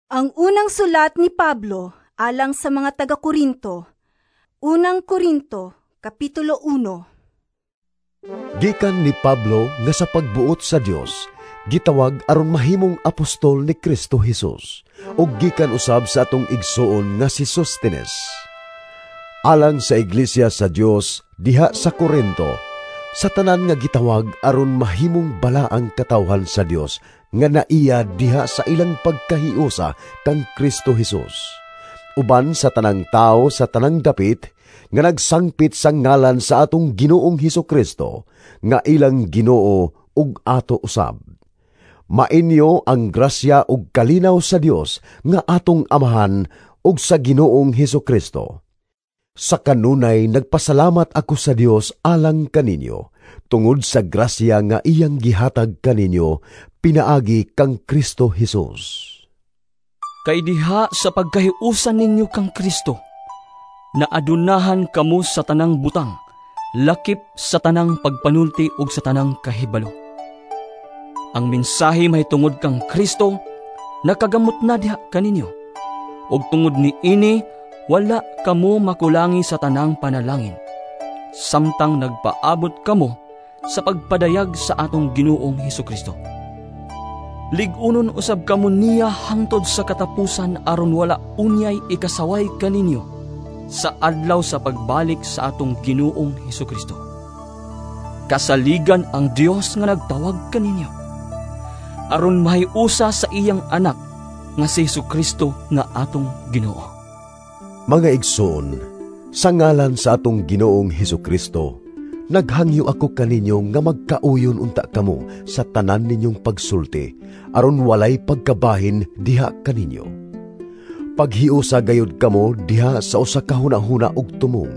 Ang unang sulat ni Pablo alang sa mga taga-Korinto. Unang Korinto, Kapitulo 1. Gikan ni Pablo nga sa pagbuot sa Dios, gitawag aron mahimong apostol ni Kristo Jesus, ug gikan usab sa atong igsuon nga si Sostenes. Alang sa iglesia sa Dios diha sa Korinto, sa tanan nga gitawag aron mahimong balaang katawhan sa Dios nga naiya diha sa ilang pagkahiusa kang Kristo Jesus. Uban sa tanang tao sa tanang dapit nga nagsangpit sa ngalan sa atong Ginoong Hesukristo nga ilang Ginoo ug ato usab. Mainyo ang grasya ug kalinaw sa Dios nga atong Amahan ug sa Ginoong Hesukristo. Sa kanunay nagpasalamat ako sa Dios alang kaninyo tungod sa grasya nga iyang gihatag kaninyo pinaagi kang Kristo Jesus. Kay diha sa pagkahiusan ninyo kang Kristo, naadunahan kamo sa tanang butang, lakip sa tanang pagpanulti ug sa tanang kahibalo. Ang mensahe mahitungod kang Kristo nakagamot na diha kaninyo, ug tungod niini wala kamo makulangi sa tanang panalangin, samtang nagpaabot kamo sa pagpadayag sa atong Ginoong Hesukristo. Lig-unon usab kamo niya hangtod sa katapusan aron wala unyay ikasaway kaninyo sa adlaw sa pagbalik sa atong Ginoong Hesukristo. Kasaligan ang Dios nga nagtawag kaninyo aron mahiusa sa iyang anak nga si Hesukristo nga atong Ginoo. Mga igsoon, sa ngalan sa atong Ginoong Hesukristo, naghangyo ako kaninyo nga magkauyon unta kamo sa tanan ninyong pagsulti, aron walay pagkabahin diha kaninyo. Paghiusa gayud kamo diha sa usa ka hunahuna ug tumong.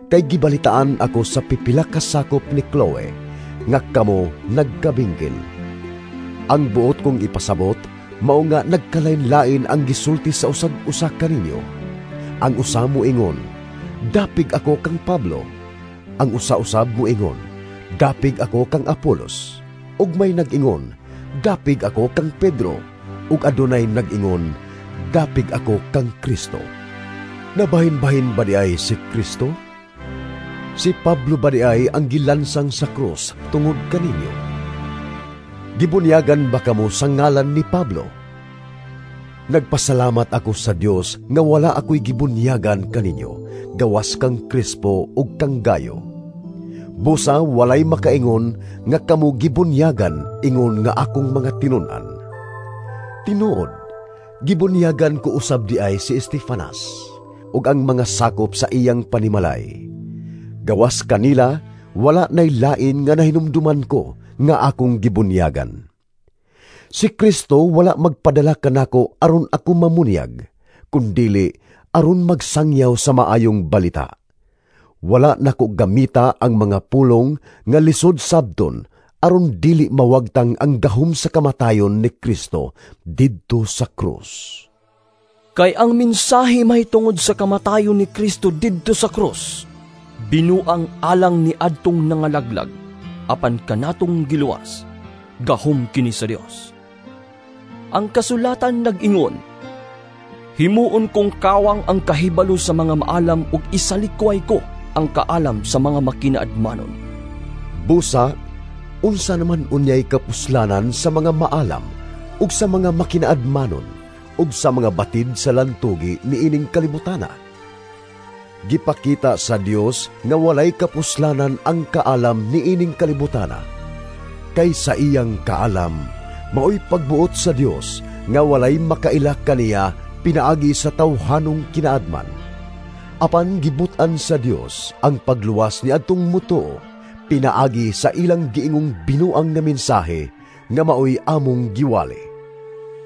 Kay gibalitaan ako sa pipila ka sakop ni Chloe nga kamo nagkabingkil. Ang buot kong ipasabot mao nga nagkalain-lain ang gisulti sa usag-usa kaninyo. Ang usa moingon, "Dapig ako kang Pablo." Ang usa-usab moingon, "Dapig ako kang Apolos." Ug may nag-ingon, "Dapig ako kang Pedro." Ug adunay nag-ingon, "Dapig ako kang Kristo." Nabahin-bahin ba di ay si Kristo? Si Pablo ba di ay ang gilansang sa krus tungod kaninyo? Gibunyagan ba kamo sa ngalan ni Pablo? Nagpasalamat ako sa Dios nga wala ako'y gibunyagan kaninyo, gawas kang Crispo ug kang Gayo. Busa walay makaingon nga kamo gibunyagan ingon nga akong mga tinun-an. Tinuod, gibunyagan ko usab di ay si Estefanas ug ang mga sakop sa iyang panimalay. Gawas kanila, wala nay lain nga nahinumduman ko nga akong gibunyagan. Si Kristo wala magpadala kanako aron ako mamunyag, kundili aron magsangyaw sa maayong balita. Wala nako gamita ang mga pulong nga lisod sabton aron dili mawagtang ang gahom sa kamatayon ni Kristo didto sa krus. Kay ang mensahe mahitungod sa kamatayon ni Kristo didto sa krus, binuang alang ni adtong nangalaglag, apan kanatong giluwas, gahom kini sa Dios. Ang kasulatan nag-ingon, "Himuon kong kawang ang kahibalo sa mga maalam ug isalikway ko ang kaalam sa mga makinaadmanon." Busa, unsa naman unyay kapuslanan sa mga maalam ug sa mga makinaadmanon ug sa mga batid sa lantugi niining kalibutana? Gipakita sa Dios nga walay kapuslanan ang kaalam niining kalibutana. Kay sa iyang kaalam, maoy pagbuot sa Dios nga walay makaila kaniya pinaagi sa tawhanong kinaadman. Apan gibutan sa Dios ang pagluwas ni adtong mutuo pinaagi sa ilang giingong binuang nga mensahe nga maoy among giwali.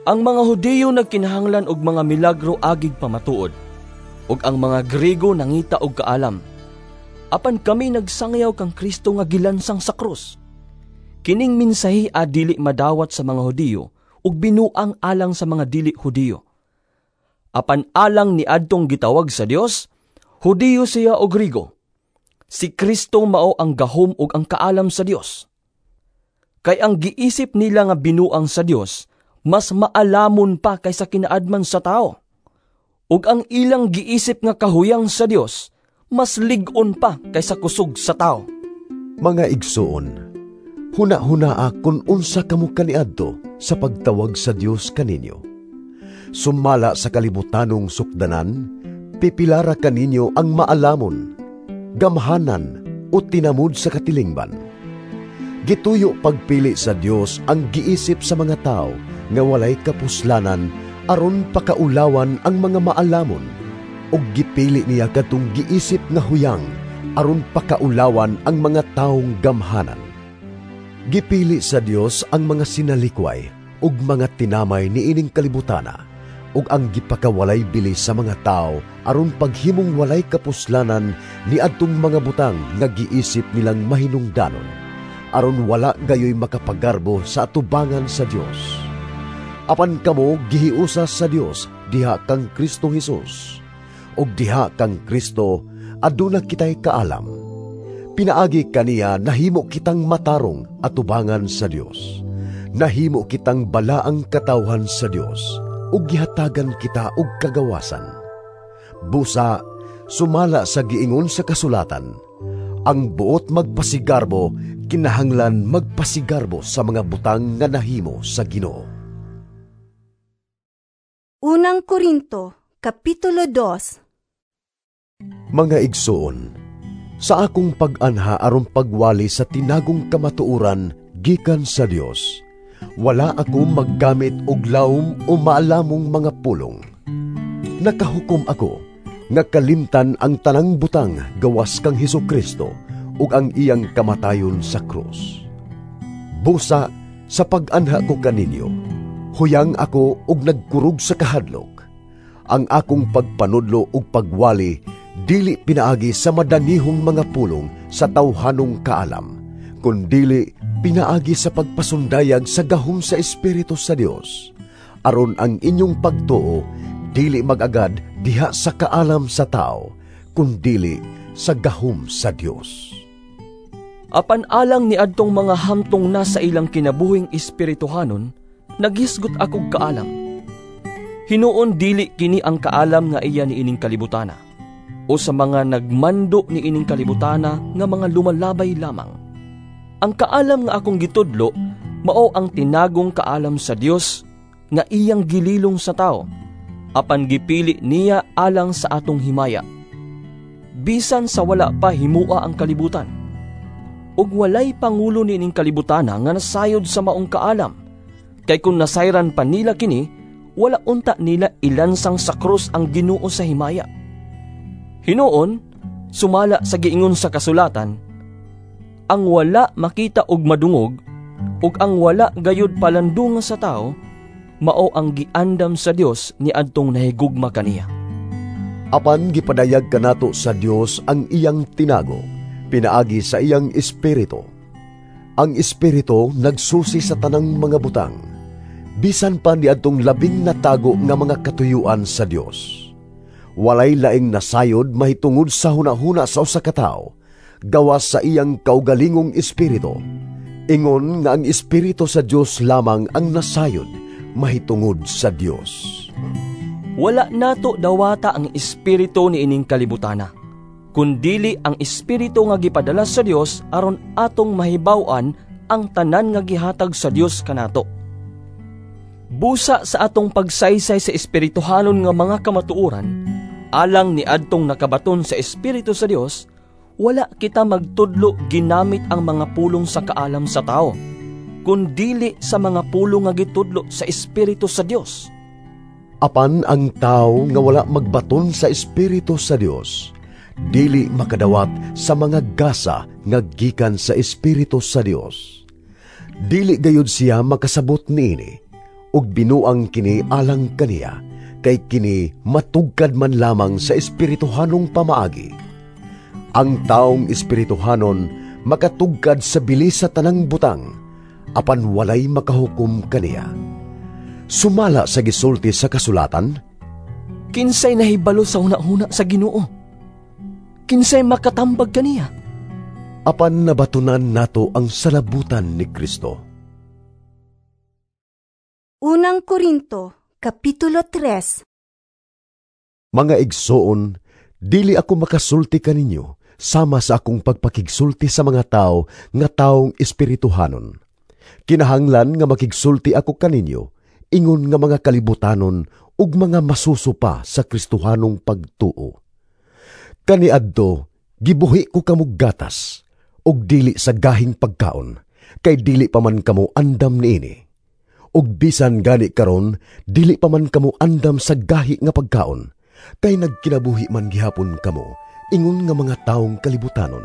Ang mga Hudiyo nagkinahanglan og mga milagro agig pamatuod, ug ang mga Griego nangita og kaalam. Apan kami nagsangyaw kang Kristo nga gilansang sa krus. Kining mensahe a dili madawat sa mga Hudiyo ug binuang alang sa mga dili Hudiyo. Apan alang ni adtong gitawag sa Dios, Hudiyo siya o Griego, si Kristo mao ang gahom ug ang kaalam sa Dios. Kay ang giisip nila nga binuang sa Dios, mas maalamon pa kaysa kinaadman sa tao. Ug ang ilang giisip nga kahuyang sa Dios, mas lig-on pa kaysa kusog sa tao. Mga igsoon, huna-hunaa kun unsa kamo kaniadto sa pagtawag sa Dios kaninyo. Sumala sa kalibutanong sukdanan, pipilara kaninyo ang maalamon, gamhanan o tinamod sa katilingban. Gituyo pagpili sa Dios ang giisip sa mga tao nga walay kapuslanan aron pakaulawan ang mga maalamon, ug gipili niya kadtong giisip nga huyang aron pakaulawan ang mga taong gamhanan. Gipili sa Dios ang mga sinalikway ug mga tinamay niining kalibutana, ug ang gipakawalay bili sa mga tao aron paghimong walay kapuslanan niadtong mga butang nga giisip nilang mahinungdanon, aron wala gayoy makapagarbo sa atubangan sa Dios. Apan kamo gihiusa sa Dios diha kang Kristo Hesus, ug diha kang Kristo aduna kitay kaalam. Pinaagi kaniya nahimo kitang matarong atubangan sa Dios. Nahimo kitang balaang katawhan sa Dios, ug gihatagan kita og kagawasan. Busa, sumala sa giingon sa kasulatan, ang buot magpasigarbo kinahanglan magpasigarbo sa mga butang nga nahimo sa Ginoo. Unang Korinto, Kapitulo 2. Mga igsoon, sa akong pag-anha aron pagwali sa tinagong kamatuoran gikan sa Dios, wala ako maggamit og lawom o maalamong mga pulong. Nakahukom ako nga kalimtan ang tanang butang gawas kang Hesukristo ug ang iyang kamatayon sa krus. Busa sa pag-anha ko kaninyo, huyang ako ug nagkurog sa kahadlok. Ang akong pagpanudlo ug pagwali dili pinaagi sa madanihong mga pulong sa tawhanong kaalam, kundili pinaagi sa pagpasundayag sa gahom sa Espiritu sa Dios, aron ang inyong pagtuo dili mag-agad diha sa kaalam sa tao, kundili sa gahom sa Dios. Apan alang ni adtong mga hamtong na sa ilang kinabuhing espirituhanon, naghisgot akog kaalam. Hinuon dili kini ang kaalam nga iya niining kalibutana, o sa mga nagmando niining kalibutana nga mga lumalabay lamang. Ang kaalam nga akong gitudlo mao ang tinagong kaalam sa Dios nga iyang gililong sa tao, apan gipili niya alang sa atong himaya. Bisan sa wala pa himua ang kalibutan, ug walay pangulo niining kalibutana nga nasayod sa maong kaalam, kay kun nasayran pa nila kini, wala unta nila ilansang sa krus ang Ginoo sa himaya. Hinuon, sumala sa giingon sa kasulatan, ang wala makita og madungog, ug ang wala gayud palandungan sa tao, mao ang giandam sa Dios ni adtong nahigugma kaniya. Apan gipadayag kanato sa Dios ang iyang tinago, pinaagi sa iyang Espiritu. Ang Espiritu nagsusi sa tanang mga butang, bisan pa niadtong labing natago nga mga katuyuan sa Dios. Walay laing nasayod mahitungod sa hunahuna sa usa ka tawo, gawas sa iyang kaugalingong espiritu. Ingon nga ang Espiritu sa Dios lamang ang nasayod mahitungod sa Dios. Wala nato dawata ang espiritu niining kalibutana, kundili ang espiritu nga gipadala sa Dios aron atong mahibaw-an ang tanan nga gihatag sa Dios kanato. Busa sa atong pagsaysay sa espirituhanon nga mga kamatuoran, alang ni adtong nakabaton sa Espiritu sa Dios, wala kita magtudlo ginamit ang mga pulong sa kaalam sa tao, kundili sa mga pulong nga gitudlo sa Espiritu sa Dios. Apan ang tao nga wala magbaton sa Espiritu sa Dios, dili makadawat sa mga gasa nga gikan sa Espiritu sa Dios. Dili gayud siya makasabot niini, ug binuang kini alang kaniya, kay kini matugkad man lamang sa espirituhanong pamaagi. Ang taong espirituhanon makatugkad sa bilis sa tanang butang, apan walay makahukom kaniya. Sumala sa gisulti sa kasulatan, kinsay nahibalo sa hunahuna sa Ginoo? Kinsay makatambag kaniya? Apan nabatunan nato ang salabutan ni Kristo. Unang Korinto, Kapitulo 3. Mga igsoon, dili ako makasulti kaninyo sama sa akong pagpakigsulti sa mga tao nga taong espirituhanon. Kinahanglan nga makigsulti ako kaninyo ingon nga mga kalibutanon ug mga masuso pa sa Kristohanong pagtuo. Kaniadto, gibuhi ko kamo gatas ug dili sa gahing pagkaon, kay dili pa man kamo andam niini. Ug bisan gani karon, dili pa man kamo andam sa gahi nga pagkaon, kay nagkinabuhi man gihapon kamo ingon nga mga taong kalibutanon.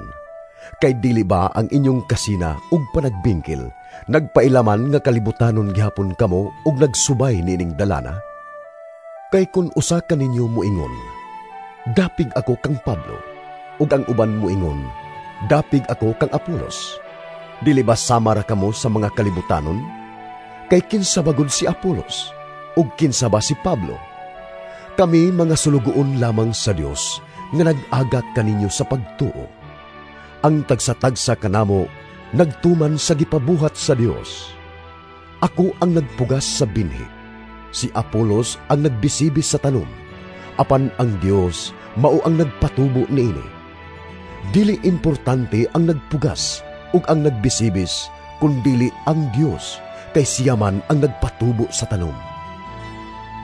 Kay dili ba ang inyong kasina ug panagbingkil nagpailaman nga kalibutanon gihapon kamo ug nagsubay niining dalana? Kay kun usa kaninyo moingon, "Dapig ako kang Pablo," ug ang uban moingon, "Dapig ako kang Apolos," dili ba sama ra kamo sa mga kalibutanon? Kay kinsa ba gud si Apolos ug kinsa ba si Pablo? Kami mga sulugoon lamang sa Dios nga nag-agak kaninyo sa pagtuo. Ang tagsa-tagsa kanamo nagtuman sa gipabuhat sa Dios. Ako ang nagpugas sa binhi, si Apolos ang nagbisibis sa tanom, apan ang Dios mao ang nagpatubo niini. Dili importante ang nagpugas ug ang nagbisibis, kundili ang Dios, kay siya man ang nagpatubo sa tanom.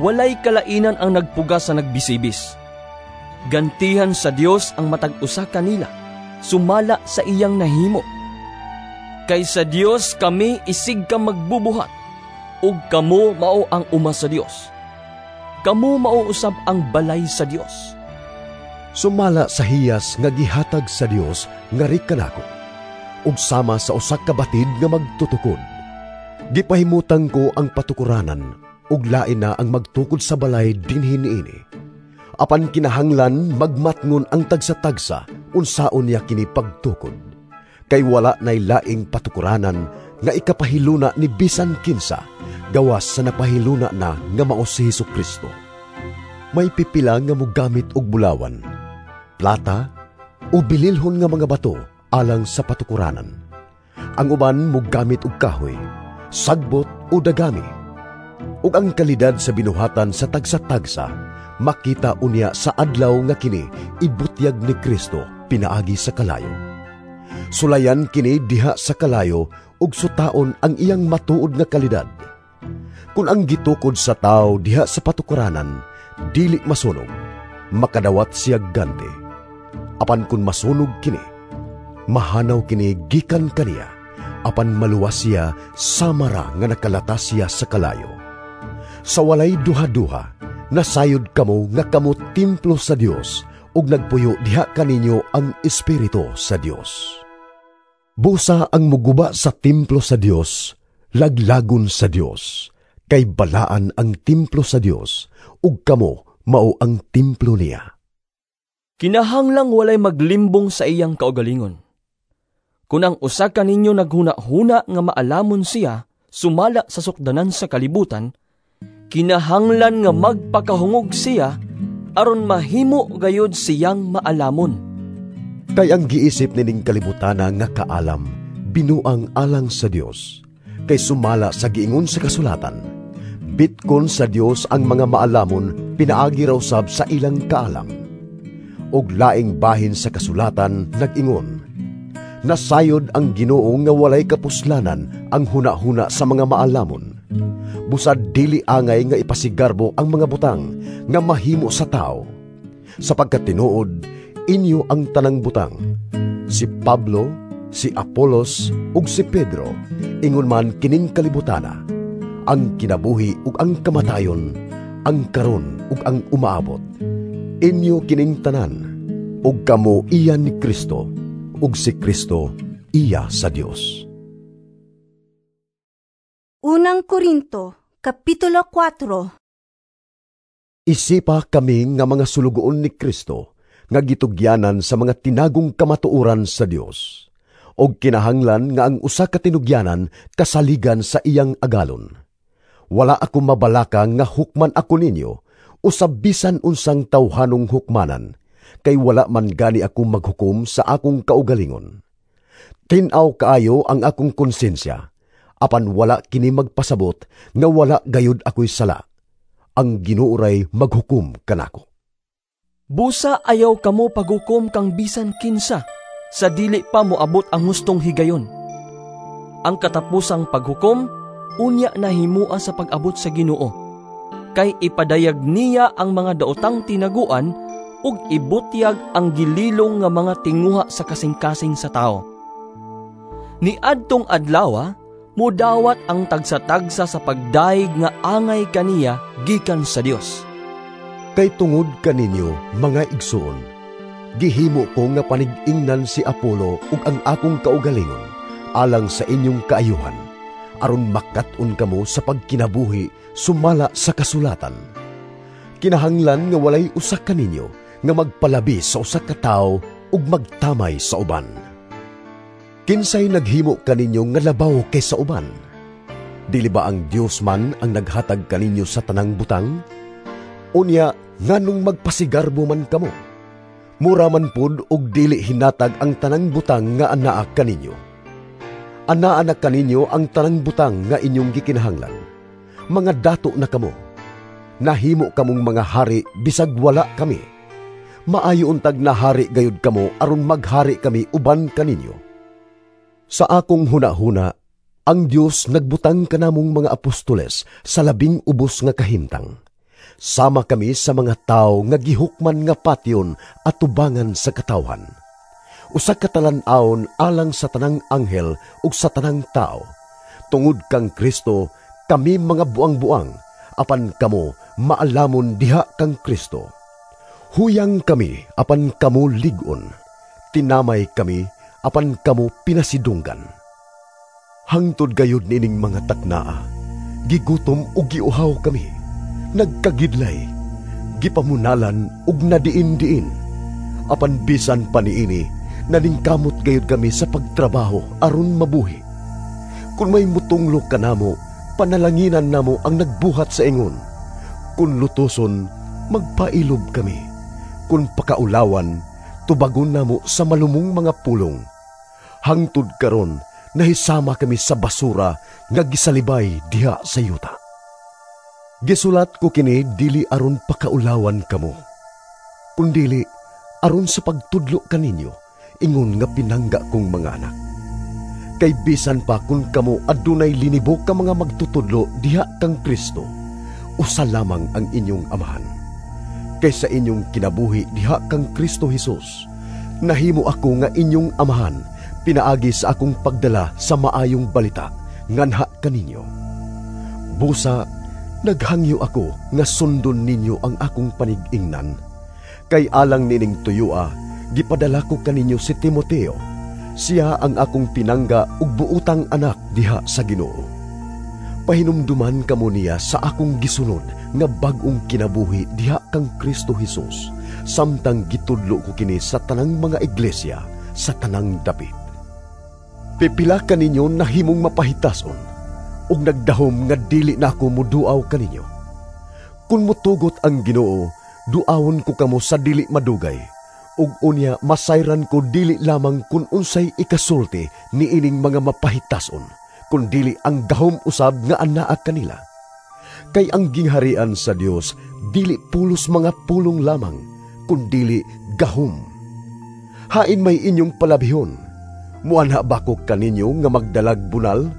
Walay kalainan ang nagpugas sa nagbisibis. Gantihan sa Dios ang matag usa kanila, sumala sa iyang nahimo. Kay sa Dios kami isig ka magbubuhat, ug kamo mao ang uma sa Dios. Kamo mao usab ang balay sa Dios. Sumala sa hiyas nga gihatag sa Dios nga kanako, ug sama sa usa ka batid nga magtutukod. Gipahimutang ko ang patukuranan, ug lain na ang magtukod sa balay dinhi niini. Apan kinahanglan magmatngon ang tagsa-tagsa unsaon niya kini pagtukod. Kay wala nay laing patukuranan nga ikapahiluna ni bisan kinsa, gawas sa napahiluna na nga mao si Hesus Kristo. May pipila nga mogamit og bulawan, plata o bililhon nga mga bato alang sa patukuranan. Ang uban mogamit og kahoy, sagbot o dagami. Ug ang kalidad sa binuhatan sa tagsa-tagsa makita unya sa adlaw nga kini ibutyag ni Kristo pinaagi sa kalayo. Sulayan kini diha sa kalayo ug sutaon ang iyang matuod nga kalidad. Kun ang gitukod sa tawo diha sa patukuranan dili masunog, makadawat siya ganti. Apan kun masunog kini, mahanaw kini gikan kaniya, apan maluwas siya samara nga nakalatas siya sa kalayo. Sa walay duha-duha, nasayod kamo nga kamo templo sa Dios ug nagpuyo diha kaninyo ang Espiritu sa Dios. Busa ang muguba sa templo sa Dios, laglagon sa Dios, kay balaan ang templo sa Dios ug kamo mao ang templo niya. Kinahanglang walay maglimbong sa iyang kaugalingon. Kun ang usa kaninyo naghuna-huna nga maalamon siya sumala sa sukdanan sa kalibutan, kinahanglan nga magpakahungog siya aron mahimo gayud siyang maalamon. Kay ang giisip nining kalibutana nga kaalam, binuang alang sa Dios. Kay sumala sa giingon sa kasulatan, bitkon sa Dios ang mga maalamon pinaagi raw sab sa ilang kaalam. Og laing bahin sa kasulatan nag-ingon, nasayod ang Ginoo nga walay kapuslanan ang huna-huna sa mga maalamon. Busad dili angay nga ipasigarbo ang mga butang nga mahimo sa tao. Sapagkat tinuod, inyo ang tanang butang. Si Pablo, si Apolos, ug si Pedro, ingon man kining kalibutana, ang kinabuhi ug ang kamatayon, ang karon ug ang umaabot. Inyo kining tanan, ug kamo iya ni Kristo, ug si Kristo iya sa Dios. Unang Korinto, Kapitulo 4. Isipa kami nga mga sulugoon ni Kristo, nga gitugyanan sa mga tinagong kamatuoran sa Dios, og kinahanglan nga ang usa ka tinugyanan kasaligan sa iyang agalon. Wala ako mabalaka nga hukman ako ninyo, usab bisan unsang tawhanong hukmanan, kay wala man gani ako maghukom sa akong kaugalingon. Tin-aw kaayo ang akong konsensya, Apan wala kini magpasabot nga wala gayud ako'y sala. Ang Ginoo ray maghukom kanako. Busa ayaw kamo paghukom kang bisan kinsa sa dili pa moabot ang hustong higayon. Ang katapusang paghukom unya nahimua sa pag-abot sa Ginoo, kay ipadayag niya ang mga daotang tinaguan ug ibutyag ang gililong nga mga tinguha sa kasing-kasing sa tao. Niadtong adlaw, mudawat ang tagsa-tagsa sa pagdayeg nga angay kaniya gikan sa Dios. Kay tungod kaninyo, mga igsoon, gihimo ko nga panig-ingnan si Apollo ug ang akong kaugalingon alang sa inyong kaayuhan, aron makat-on kamo sa pagkinabuhi sumala sa kasulatan. Kinahanglan nga walay usa kaninyo nga magpalabi sa usa ka tawo ug magtamay sa uban. Kinsay naghimo kaninyo nga labaw kaysa uban? Dili ba ang Dios man ang naghatag kaninyo sa tanang butang? Unya, nganong magpasigarbo man kamo? Mura man pud og dili hinatag ang tanang butang nga anaa kaninyo. Anaa na kaninyo ang tanang butang nga inyong gikinahanglan. Mga dato na kamo. Nahimo kamong mga hari bisag wala kami. Maayo untag nahari gayud kamo aron maghari kami uban kaninyo. Sa akong hunahuna, ang Dios nagbutang kanamong mga apostoles sa labing ubos nga kahimtang. Sama kami sa mga tao nga gihukman nga patyon at tubangan sa katawhan. Usa ka talan-awon alang sa tanang anghel ug sa tanang tao. Tungod kang Kristo, kami mga buang-buang, apan kamo maalamon diha kang Kristo. Huyang kami, apan kamo lig-on. Tinamay kami, apan kamo pinasidunggan. Hangtod gayud nining mga taknaa, gigutom ug giuhaw kami, nagkagidlay, gipamunalan ug nadiin-diin. Apan bisan pa niini, naningkamot gayud kami sa pagtrabaho aron mabuhi. Kung may mutunglo kanamo, panalanginan namo ang nagbuhat sa ingon. Kung lutuson, magpailob kami. Kung pakaulawan, tubagon namo sa malumong mga pulong. Hangtod karon, nahisama kami sa basura nga gisalibay diha sa yuta. Gisulat ko kini dili aron pakaulawan kamo, kundili aron sa pagtudlo kaninyo, ingon nga pinangga kong mga anak. Kay bisan pa kung kamo adunay linibo ka mga magtutudlo diha kang Kristo, usa lamang ang inyong amahan. Kay sa inyong kinabuhi diha kang Kristo Hesus, nahimo ako nga inyong amahan, pinaagi sa akong pagdala sa maayong balita nganha kaninyo. Busa, naghangyo ako nga sundon ninyo ang akong panig-ingnan. Kay alang nining tuyua, gipadala ko kaninyo si Timoteo. Siya ang akong pinangga ug buotang anak diha sa Ginoo. Pahinumduman kamo niya sa akong gisunod nga bag-ong kinabuhi diha kang Kristo Hesus, samtang gitudlo ko kini sa tanang mga iglesia sa tanang dapit. Pipila kaninyo nahimong mapahitason ug nagdahom nga dili na ako muduaw kaninyo. Kun mutugot ang Ginoo, duawon ko kamo sa dili madugay, ug unya masayran ko dili lamang kun unsay ikasulti niining mga mapahitason, kun dili ang gahom usab nga anaa kanila. Kay ang gingharian sa Dios dili pulos mga pulong lamang, kun dili gahom. Hain may inyong palabihon, muanha ba ko kaninyo nga magdalag bunal?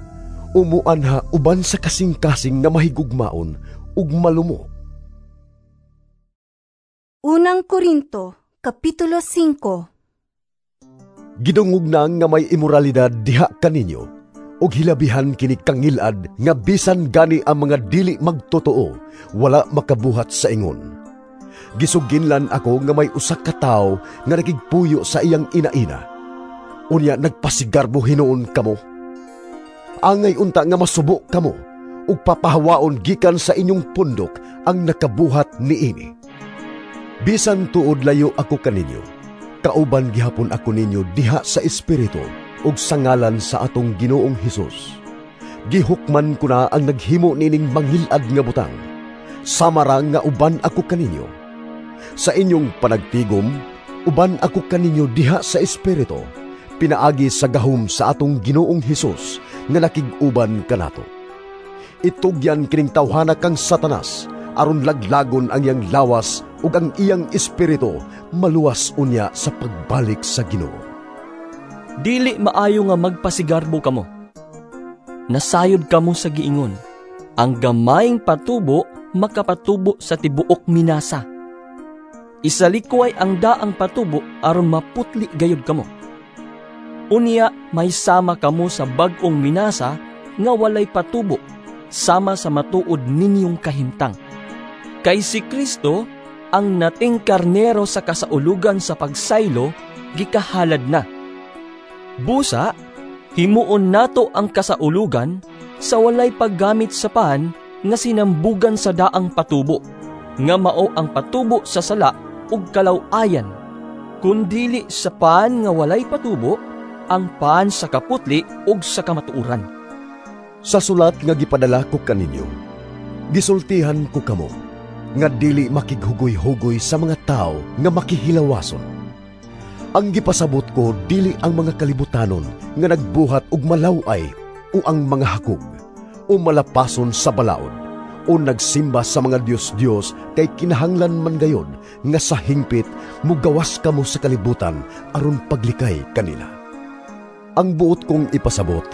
O muanha uban sa kasing-kasing nga mahigugmaon ug malumo? Unang Korinto, Kapitulo 5. Gidungog na nga may imoralidad diha kaninyo, ug hilabihan kini kangilad nga bisan gani ang mga dili magtotoo wala makabuhat sa ingon. Gisuginlan ako nga may usa ka tawo nga nakigpuyo sa iyang ina-ina. Unya nagpasigarbo hinuon kamo. Angay unta nga masubo kamo ug papahawaon gikan sa inyong pundok ang nakabuhat niini. Bisan tuod layo ako kaninyo, kauban gihapon ako ninyo diha sa espiritu ug sa ngalan sa atong Ginoong Hesus. Gihukman ko na ang naghimo nining mangilad nga butang, sama ra nga uban ako kaninyo. Sa inyong panagtigom, uban ako kaninyo diha sa espiritu, pinaagi sa gahom sa atong Ginoong Hesus nga nakig-uban kanato. Itugyan kining tawhana kang Satanas aron laglagon ang iyang lawas ug ang iyang espiritu maluwas unya sa pagbalik sa Ginoo. Dili maayo nga magpasigarbo kamo. Nasayod kamo sa giingon, ang gamayng patubo makapatubo sa tibuok minasa. Isalikway ang daang patubo aron maputli gayud kamo. Unya may sama kamo sa bag-ong minasa nga walay patubo, sama sa matuod ninyong kahimtang. Kay si Kristo, ang nating karnero sa kasaulugan sa pagsaylo, gikahalad na. Busa, himuon nato ang kasaulugan sa walay paggamit sa pan nga sinambugan sa daang patubo, nga mao ang patubo sa sala ug kalaw-ayan, kundili sa pan nga walay patubo, ang pan sa kaputli ug sa kamatuoran. Sa sulat nga gipadala ko kaninyo, gisultihan ko kamo nga dili makighugoy-hugoy sa mga tao nga makihilawason. Ang gipasabot ko dili ang mga kalibutanon nga nagbuhat og malaw-ay o ang mga hakog o malapason sa balaod o nagsimba sa mga Diyos-Diyos kay kinahanglan man gayod nga sa hingpit mugawas kamo sa kalibutan aron paglikay kanila. Ang buot kong ipasabot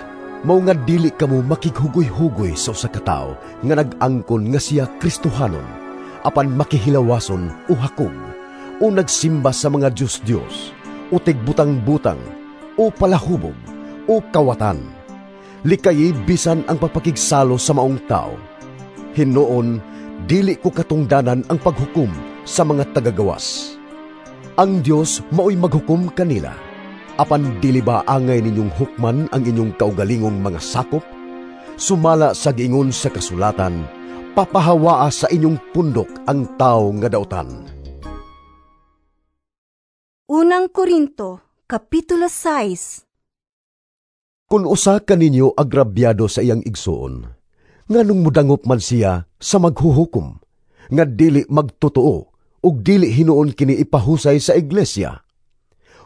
mao nga dili kamo makighugoy-hugoy sa usa ka tawo nga nag-angkon nga siya Kristohanon apan makihilawason o hakog o nagsimba sa mga Diyos-Diyos o tigbutang-butang o palahubog o kawatan. Likayi bisan ang pagpakigsalo sa maong tao. Hinuon, dili ko katungdanan ang paghukom sa mga tagagawas. Ang Dios mao'y maghukom kanila. Apan dili ba angay ninyong hukman ang inyong kaugalingong mga sakop? Sumala sa giingon sa kasulatan, papahawaa sa inyong pundok ang tao nga dautan. Unang Korinto, Kapitulo 6. Kung usa kaninyo agrabyado sa iyang igsuon, nganong mudangop man siya sa maghuhukom, nga dili magtotoo ug dili hinuon kini ipahusay sa iglesia?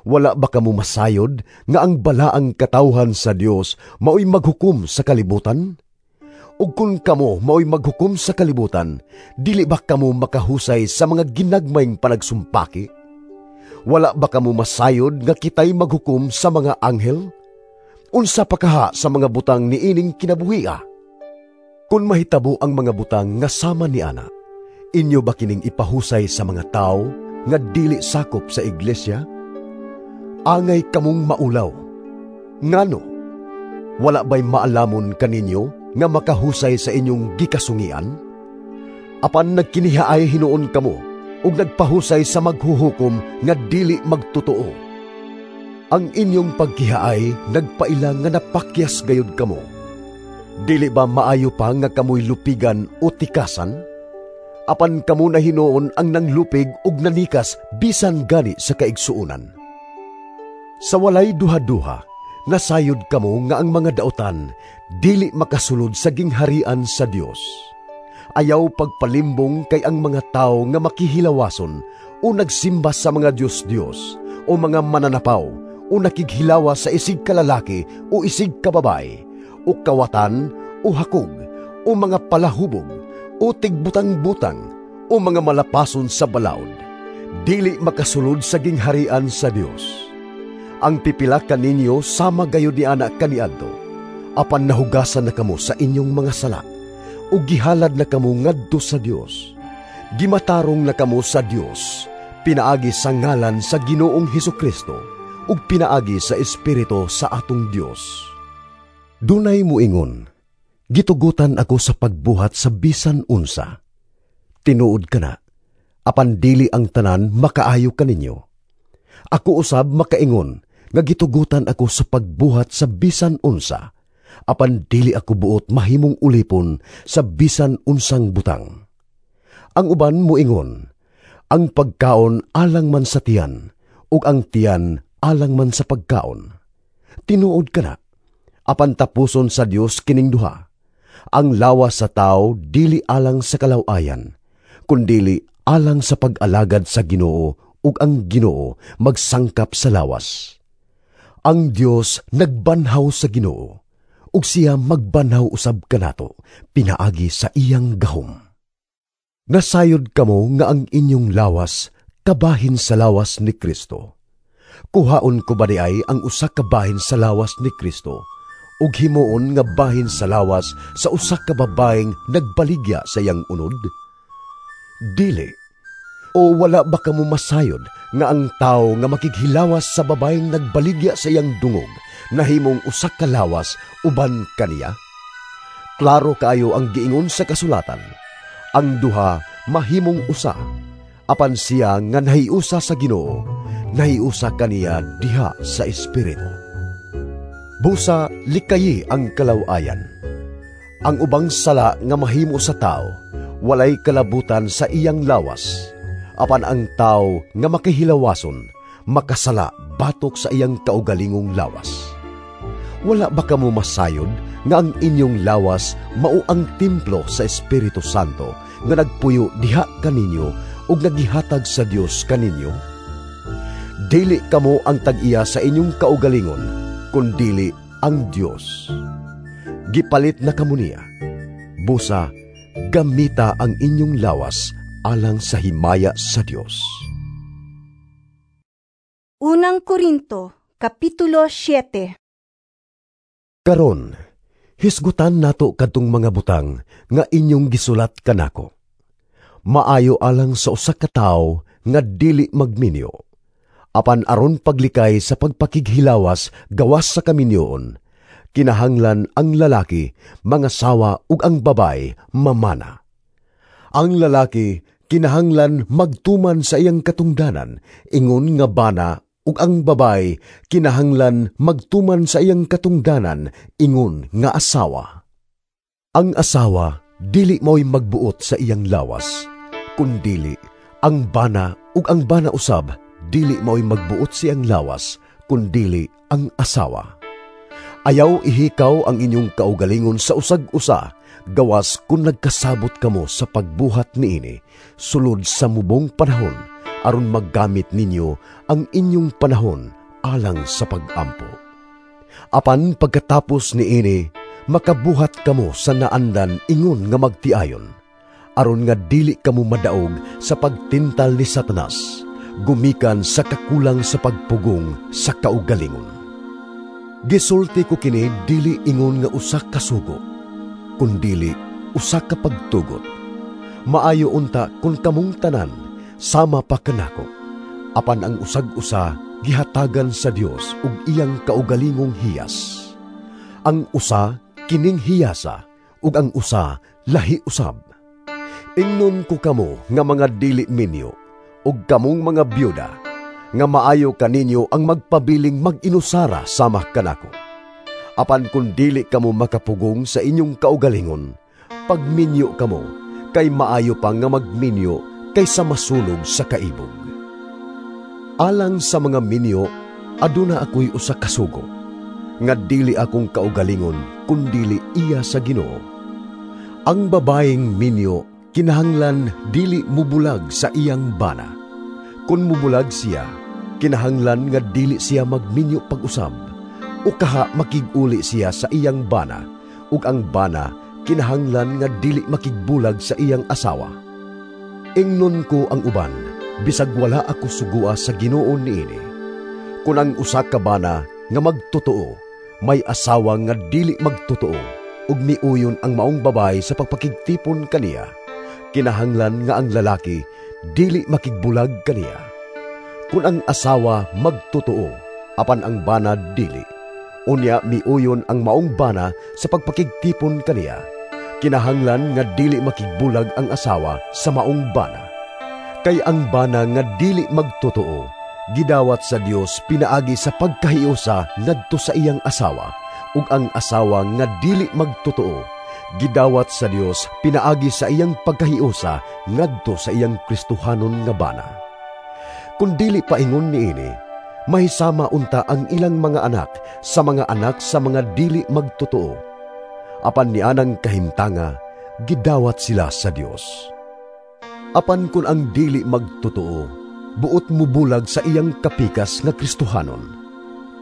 Wala ba kamo masayod nga ang balaang katawhan sa Dios maoy maghukom sa kalibutan? Ug kung kamo maoy maghukom sa kalibutan, dili ba kamo makahusay sa mga ginagmayng panagsumpaki? Wala ba kamo masayod nga kitay maghukom sa mga anghel? Unsa pa kaha sa mga butang niining kinabuhia? Kung mahitabo ang mga butang nga sama ni ana, inyo ba kining ipahusay sa mga tao nga dili sakop sa iglesia? Angay kamong maulaw. Ngano? Wala ba'y maalamon kaninyo nga makahusay sa inyong gikasungian? Apan nagkinihaay hinuon kamo ug nagpahusay sa maghuhukom nga dili magtotoo. Ang inyong pagkihaay nagpaila nga napakyas gayud kamo. Dili ba maayo pa nga kamoy lupigan o tikasan? Apan kamo na hinuon ang nanglupig ug nanikas bisan gani sa kaigsuonan. Sa walay duha-duha, nasayod kamo nga ang mga dautan dili makasulod sa gingharian sa Dios. Ayaw pagpalimbong kay ang mga tao nga makihilawason o nagsimba sa mga Diyos-Diyos o mga mananapaw o nakighilawa sa isig kalalaki o isig kababae o kawatan o hakog o mga palahubog o tigbutang-butang o mga malapason sa balaod, dili makasulod sa gingharian sa Dios. Ang pipila kaninyo sama gayud ni ana kaniadto, apan nahugasan na kamo sa inyong mga sala ug gihalad na kamo ngadto sa Dios. Gimatarong na kamo sa Dios pinaagi sa ngalan sa Ginoong Hesukristo ug pinaagi sa Espiritu sa atong Dios. Dunay muingon, gitugutan ako sa pagbuhat sa bisan unsa. Tinuod kana, apan dili ang tanan makaayo kaninyo. Ako usab makaingon nga gitugutan ako sa pagbuhat sa bisan unsa, apan dili ako buot mahimong ulipon sa bisan unsang butang. Ang uban muingon, ang pagkaon alang man sa tiyan, ug ang tiyan alang man sa pagkaon. Tinuod kana, apan tapuson sa Dios kining duha. Ang lawas sa tao dili alang sa kalaw-ayan, kundili alang sa pag-alagad sa Ginoo, ug ang Ginoo magsangkap sa lawas. Ang Dios nagbanhaw sa Ginoo, ug ug siya magbanaw usab kanato pinaagi sa iyang gahom. Nasayod kamo nga ang inyong lawas kabahin sa lawas ni Kristo. Kuhaon ko ba diay ang usa ka bahin sa lawas ni Kristo ug himuon nga bahin sa lawas sa usa ka babaeng nagbaligya sa iyang unod? Dili. O wala ba kamo masayod nga ang tawo nga makighilawas sa babaeng nagbaligya sa iyang dungog nahimong usa ka lawas uban kaniya? Klaro kaayo ang giingon sa kasulatan, ang duha mahimong usa. Apan siya nga nahiusa sa Ginoo, nahiusa kaniya diha sa espiritu. Busa likayi ang kalawayan. Ang ubang sala nga mahimo sa tao, walay kalabutan sa iyang lawas. Apan ang tao nga makihilawason, makasala batok sa iyang kaugalingong lawas. Wala ba kamo masayod nga ang inyong lawas mao ang templo sa Espiritu Santo nga nagpuyo diha kaninyo ug nagihatag sa Dios kaninyo? Dili kamo ang tag-iya sa inyong kaugalingon, kundili ang Dios. Gipalit na kamo niya. Busa, gamita ang inyong lawas alang sa himaya sa Dios. Unang Korinto, Kapitulo 7. Karon, hisgutan nato kadtong mga butang nga inyong gisulat kanako. Maayo alang sa usa ka tawo nga dili magminyo. Apan aron paglikay sa pagpakighilawas gawas sa kaminyoon, kinahanglan ang lalaki mangasawa ug ang babae mamana. Ang lalaki kinahanglan magtuman sa iyang katungdanan ingon nga bana, ug ang babae kinahanglan magtuman sa iyang katungdanan ingon nga asawa. Ang asawa dili mao'y magbuot sa iyang lawas, kundili ang bana, ug ang bana usab dili mao'y magbuot sa iyang lawas, kundili ang asawa. Ayaw ihikaw ang inyong kaugalingon sa usag-usa, gawas kung nagkasabot kamo sa pagbuhat niini sulod sa mubong panahon, aron maggamit ninyo ang inyong panahon alang sa pag-ampo. Apan pagkatapos niini, makabuhat kamo sa naandan ingon nga magtiayon, aron nga dili kamo madaog sa pagtintal ni Satanas, gumikan sa kakulang sa pagpugong sa kaugalingon. Gisulti ko kini dili ingon nga usa ka sugo, kundili usa ka pagtugot. Maayo unta kun kamong tanan sama pa kanako, apan ang usag-usa gihatagan sa Dios ug iyang kaugalingong hiyas. Ang usa kining hiyasa ug ang usa lahi usab. Ingnon ko kamo nga mga dili minyo ug kamong mga byuda, nga maayo kaninyo ang magpabiling mag-inusara sama kanako. Apan kun dili kamo makapugong sa inyong kaugalingon, pagminyo kamo, kay maayo pa nga magminyo kaysa masunog sa kaibog. Alang sa mga minyo, aduna ako'y usa ka sugo, nga dili akong kaugalingon kundili iya sa Ginoo. Ang babaeng minyo kinahanglan dili mubulag sa iyang bana. Kun mubulag siya, kinahanglan nga dili siya magminyo pag-usab, o kaha makig-uli siya sa iyang bana, ug ang bana kinahanglan nga dili makigbulag sa iyang asawa. Ingnon ko ang uban, bisag wala ako sugua sa Ginoo niini. Kun ang usa ka bana nga magtotoo, may asawa nga dili magtotoo, ug miuyon ang maong babae sa pagpakigtipon kaniya, kinahanglan nga ang lalaki dili makigbulag kaniya. Kun ang asawa magtotoo, apan ang bana dili, unya miuyon ang maong bana sa pagpakigtipon kaniya, kinahanglan nga dili makigbulag ang asawa sa maong bana. Kay ang bana nga dili magtotoo, gidawat sa Dios pinaagi sa pagkahiusa ngadto sa iyang asawa, ug ang asawa nga dili magtotoo, gidawat sa Dios pinaagi sa iyang pagkahiusa ngadto sa iyang Kristohanon nga bana. Kun dili paingon niini, mahisama unta ang ilang mga anak sa mga anak sa mga dili magtotoo. Apan nianang kahimtanga, gidawat sila sa Dios. Apan kun ang dili magtotoo, buot mubulag sa iyang kapikas nga Kristohanon,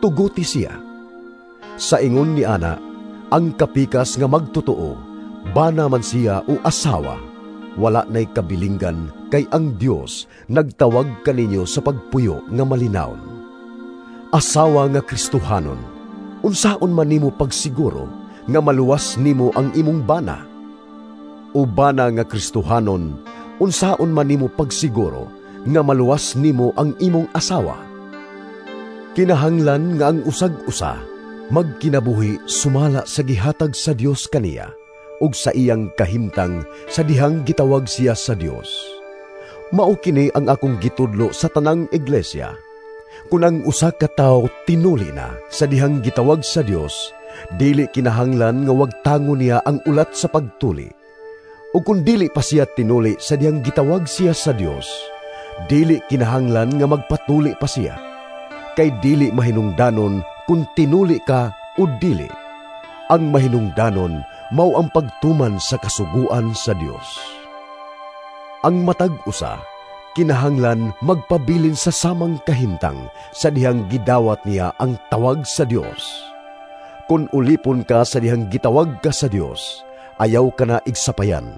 tuguti siya. Sa ingon ni ana, Ang kapikas nga magtotoo, bana man siya o asawa, wala na'y kabilinggan kay ang Dios nagtawag kaninyo sa pagpuyo nga malinawon. Asawa nga Kristohanon, unsaon man nimo pagsiguro nga maluwas nimo ang imong bana? O bana nga Kristohanon, unsaon man nimo pagsiguro nga maluwas nimo ang imong asawa? Kinahanglan nga ang usag-usa magkinabuhi sumala sa gihatag sa Dios kaniya ug sa iyang kahimtang sa dihang gitawag siya sa Dios. Mao kini ang akong gitudlo sa tanang iglesia. Kun ang usa ka tawo tinuli na sa dihang gitawag sa Dios, dili kinahanglan nga wagtangon niya ang ulat sa pagtuli. O kung dili pa siya tinuli sa dihang gitawag siya sa Dios, dili kinahanglan nga magpatuli pa siya. Kay dili mahinungdanon kung tinuli ka o dili. Ang mahinungdanon mao ang pagtuman sa kasuguan sa Dios. Ang matag usa kinahanglan magpabilin sa samang kahimtang sa dihang gidawat niya ang tawag sa Dios. Kung ulipon ka sa dihang gitawag ka sa Dios, ayaw ka na igsapayan.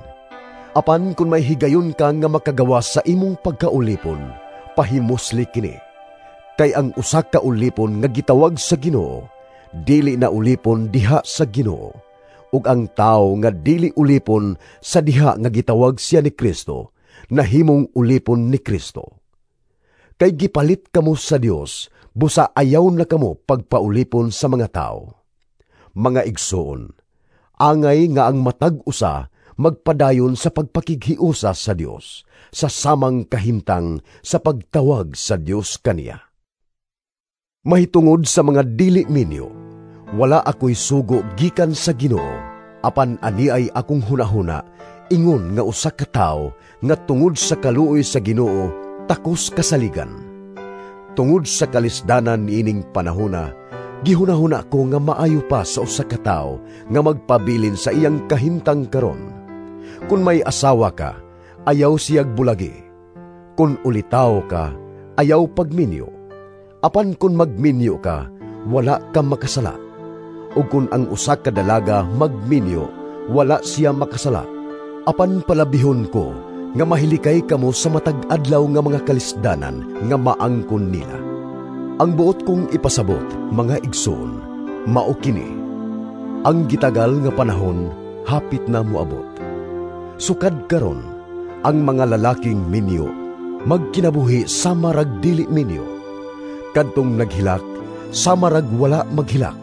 Apan kung may higayon ka nga makagawa sa imong pagkaulipon, pahimusli kini. Kay ang usa ka ulipon nga gitawag sa Ginoo, dili na ulipon diha sa Ginoo. Ug ang tawo nga dili ulipon sa diha nga gitawag siya ni Kristo, nahimong ulipon ni Kristo. Kay gipalit kamo sa Dios, busa ayaw na kamo pagpaulipon sa mga tawo. Mga igsoon, angay nga ang matag usa magpadayon sa pagpakighiusa sa Dios, sa samang kahimtang sa pagtawag sa Dios kaniya. Mahitungod sa mga dili minyo, wala ako'y sugo gikan sa Ginoo, apan ani ay akong hunahuna, ingon nga usa ka tawo nga tungod sa kaluoy sa Ginoo takos kasaligan. Tungod sa kalisdanan niining panahona, gihunahuna ko nga maayo pa sa usa ka tawo nga magpabilin sa iyang kahimtang karon. Kun may asawa ka, ayaw siyag bulagi. Kun ulitaw ka, ayaw pagminyo. Apan kun magminyo ka, wala ka makasala. O kun ang usa ka dalaga magminyo, wala siya makasala. Apan palabihon ko nga mahilikay kamo sa matag adlaw nga mga kalisdanan nga maangkon nila. Ang buot kong ipasabot, mga igsoon, mao kini. Ang gitagal nga panahon hapit na moabot. Sukad karon, ang mga lalaking minyo magkinabuhi sama rag dili minyo. Kadtong naghilak, sama rag wala maghilak.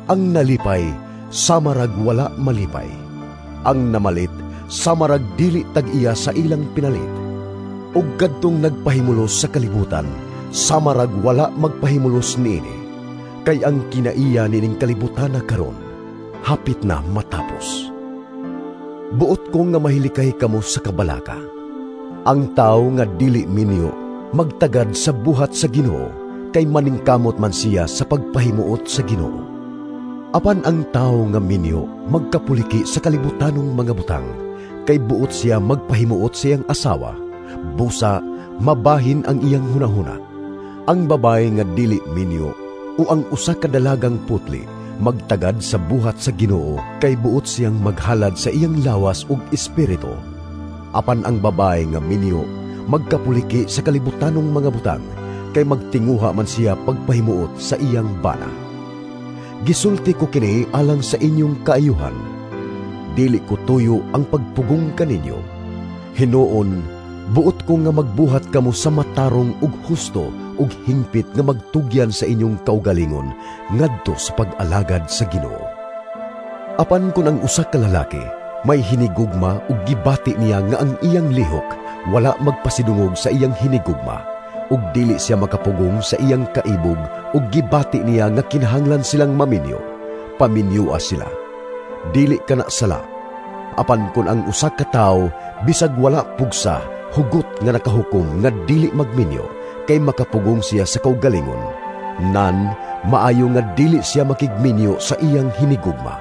Ang nalipay, sama rag wala malipay. Ang namalit, sama rag dili tag-iya sa ilang pinalit. Ug kadtong nagpahimulos sa kalibutan, sama rag wala magpahimulos niini. Kay ang kinaiya nining kalibutan na karon, hapit na matapos. Buot ko nga mahilikay kamo sa kabalaka. Ang tao nga dili minyo, magtagad sa buhat sa Ginoo, kay maningkamot man siya sa pagpahimuot sa Ginoo. Apan ang tao nga minyo magkapuliki sa kalibutanong mga butang, kay buot siya magpahimuot sa iyang asawa, busa mabahin ang iyang hunahuna. Ang babae nga dili minyo o ang usa ka dalagang putli magtagad sa buhat sa Ginoo, kay buot siyang maghalad sa iyang lawas ug espiritu. Apan ang babae nga minyo magkapuliki sa kalibutanong mga butang, kay magtinguha man siya pagpahimuot sa iyang bana. Gisulti ko kini alang sa inyong kaayuhan. Dili ko tuyo ang pagpugong kaninyo. Hinuon, buot ko nga magbuhat kamo sa matarong ug husto ug hingpit nga magtugyan sa inyong kaugalingon ngadto sa pag-alagad sa Ginoo. Apan kun ang usa ka lalaki may hinigugma ug gibati niya nga ang iyang lihok wala magpasidungog sa iyang hinigugma, ug dili siya makapugong sa iyang kaibog ug gibati niya nga kinahanglan silang maminyo, paminyoa sila. Dili kana sala. Apan kun ang usa ka tawo bisag wala pugsa, hugot nga nakahukom nga dili magminyo, kay makapugong siya sa kaugalingon, nan maayo nga dili siya makigminyo sa iyang hinigugma.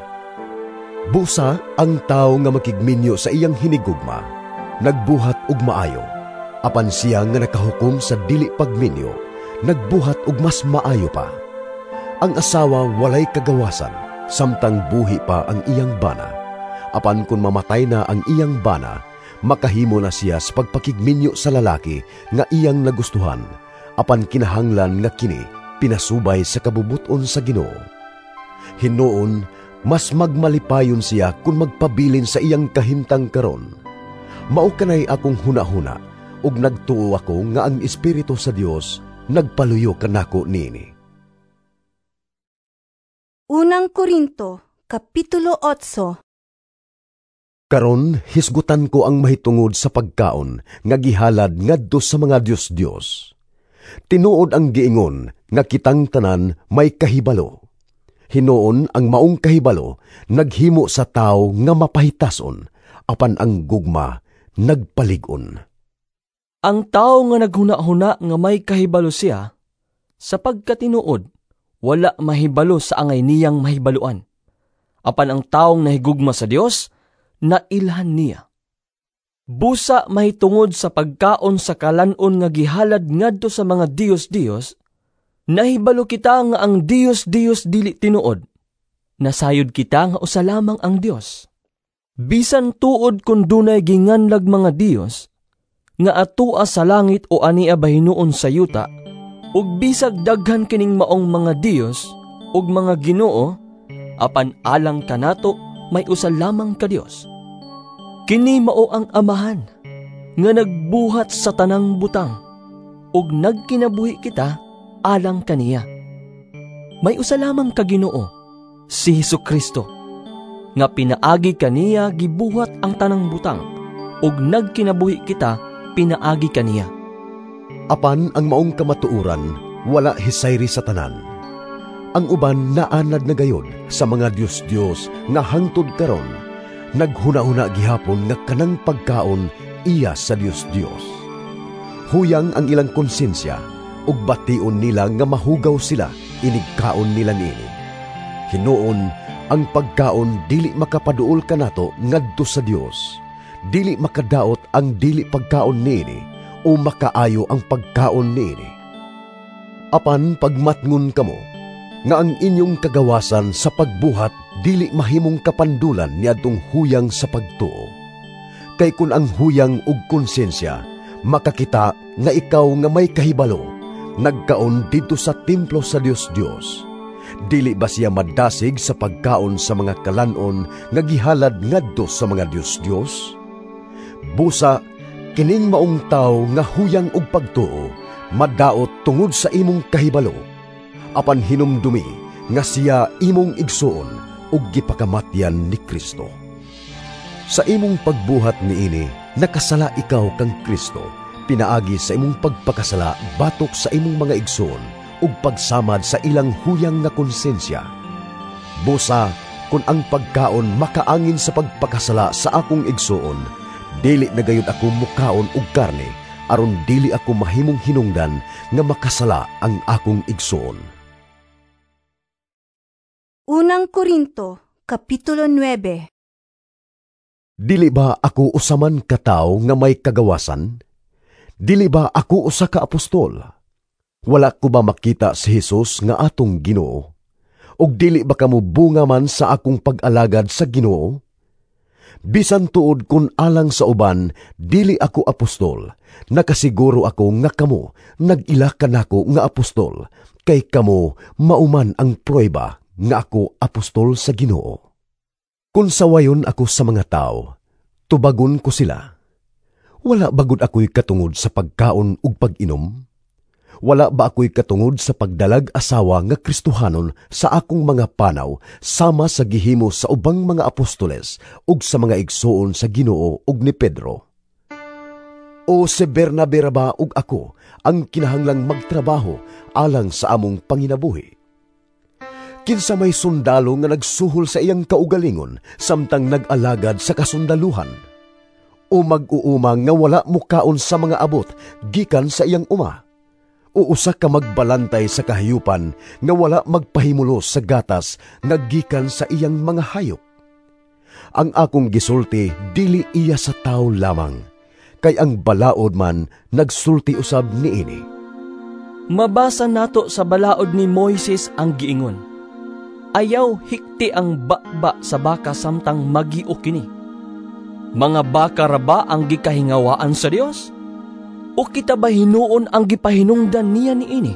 Busa ang tawo nga makigminyo sa iyang hinigugma, nagbuhat og maayo. Apan siya nga nakahukom sa dili pagminyo, nagbuhat og mas maayo pa. Ang asawa walay kagawasan samtang buhi pa ang iyang bana. Apan kung mamatay na ang iyang bana, makahimo na siya sa pagpakigminyo sa lalaki nga iyang nagustuhan, apan kinahanglan nga kini pinasubay sa kabubuton sa Ginoo. Hinuon, mas magmalipayon siya kung magpabilin sa iyang kahimtang karon. Mao kanay akong hunahuna, ug nagtuo ako nga ang Espiritu sa Dios nagpaluyo kanako niini. Unang Korinto, Kapitulo 8. Karon hisgutan ko ang mahitungod sa pagkaon nga gihalad ngadto sa mga Dios-Dios. Tinuod ang giingon nga kitang tanan may kahibalo. Hinuon ang maong kahibalo naghimo sa tawo nga mapahitason, apan ang gugma nagpalig-on. Ang tao nga naghuna-huna nga may kahibalo siya, sa pagkatinuod, wala mahibalo sa angay niyang mahibaluan. Apan ang taong nahigugma sa Dios, nailhan niya. Busa mahitungod sa pagkaon sa kalanon nga gihalad ngadto sa mga Dios-Dios, nahibalo kita nga ang Dios-Dios dili tinuod. Nasayod kita nga usa lamang ang Dios. Bisan tuod kun dunay ginganlag mga Dios, nga atua sa langit o ania bahinuon sa yuta, ug bisag daghan kining maong mga Dios ug mga Ginoo, apan alang kanato may usa lamang ka Dios. Kini mao ang Amahan nga nagbuhat sa tanang butang ug nagkinabuhi kita alang kaniya. May usa lamang ka Ginoo, si Hesukristo, nga pinaagi kaniya gibuhat ang tanang butang ug nagkinabuhi kita pinaagi kaniya. Apan ang maong kamatuoran wala hisayri sa tanan. Ang uban naanad na gayod sa mga Dios-Dios nga hangtod karon naghuna-huna gihapon nga kanang pagkaon iya sa Dios-Dios. Huyang ang ilang konsensya ug bation nila nga mahugaw sila inigkaon nila niini. Hinuon, ang pagkaon dili makapaduol kanato ngadto sa Dios. Dili makadaot ang dili pagkaon niini o makaayo ang pagkaon niini. Apan pagmatngon kamo nga ang inyong kagawasan sa pagbuhat dili mahimong kapandulan niadtong huyang sa pagtuo. Kay kun ang huyang ug konsensya makakita nga ikaw nga may kahibalo nagkaon didto sa templo sa Dios-Dios, dili ba siya madasig sa pagkaon sa mga kalanon nga gihalad ngadto sa mga Dios-Dios? Busa kining maong tawo nga huyang ug pagtuo madaot tungod sa imong kahibalo, apan hinumdumi nga siya imong igsuon ug gipakamatyan ni Kristo. Sa imong pagbuhat niini, nakasala ikaw kang Kristo, pinaagi sa imong pagpakasala batok sa imong mga igsuon ug pagsamad sa ilang huyang nga konsensya. Busa, kun ang pagkaon makaangin sa pagpakasala sa akong igsuon, dili na gayud ako mukaon og karne, aron dili ako mahimong hinungdan nga makasala ang akong igsuon. Unang Korinto, Kapitulo 9. Dili ba ako usaman ka tawo nga may kagawasan? Dili ba ako usa ka apostol? Wala ko ba makita si Jesus nga atong Ginoo? Ug dili ba kamo bunga man sa akong pag-alagad sa Ginoo? Bisan tuod kun alang sa uban, dili ako apostol, nakasiguro ako nga kamo nag-ila kanako nga apostol, kay kamo mauman ang pruweba nga ako apostol sa Ginoo. Kun sawayon ako sa mga tao, tubagon ko sila. Wala bagud ako'y katungod sa pagkaon ug pag-inom? Wala ba ako'y katungod sa pagdalag asawa nga Kristohanon sa akong mga panaw sama sa gihimo sa ubang mga apostoles ug sa mga igsuon sa Ginoo ug ni Pedro? O si Bernabe ra ba ug ako ang kinahanglang magtrabaho alang sa among panginabuhi? Kinsa may sundalo nga nagsuhol sa iyang kaugalingon samtang nag-alagad sa kasundaluhan? O mag-uuma nga wala mukaon sa mga abot gikan sa iyang uma? O usa ka magbalantay sa kahayupan nga wala magpahimulos sa gatas nga gikan sa iyang mga hayop? Ang akong gisulti dili iya sa tawo lamang, kay ang balaod man nagsulti usab niini. Mabasa nato sa balaod ni Moises ang giingon, Ayaw hikti ang baba sa baka samtang magio kini. Mga baka ra ba ang gikahingawaan sa Dios? O kita ba hinuon ang gipahinungdan niya niini?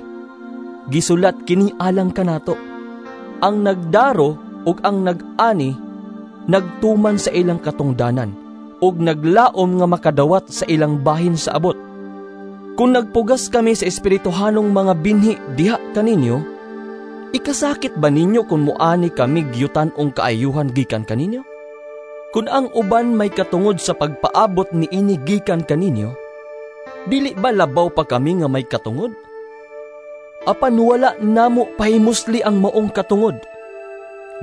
Gisulat kini alang kanato. Ang nagdaro ug ang nag-ani nagtuman sa ilang katungdanan ug naglaom nga makadawat sa ilang bahin sa abot. Kung nagpugas kami sa espirituhanong mga binhi diha kaninyo, ikasakit ba ninyo kung muani kami gyutan-ong kaayuhan gikan kaninyo? Kung ang uban may katungod sa pagpaabot niini gikan kaninyo, dili ba labaw pa kami nga may katungod? Apan wala namo pahimusli ang maong katungod.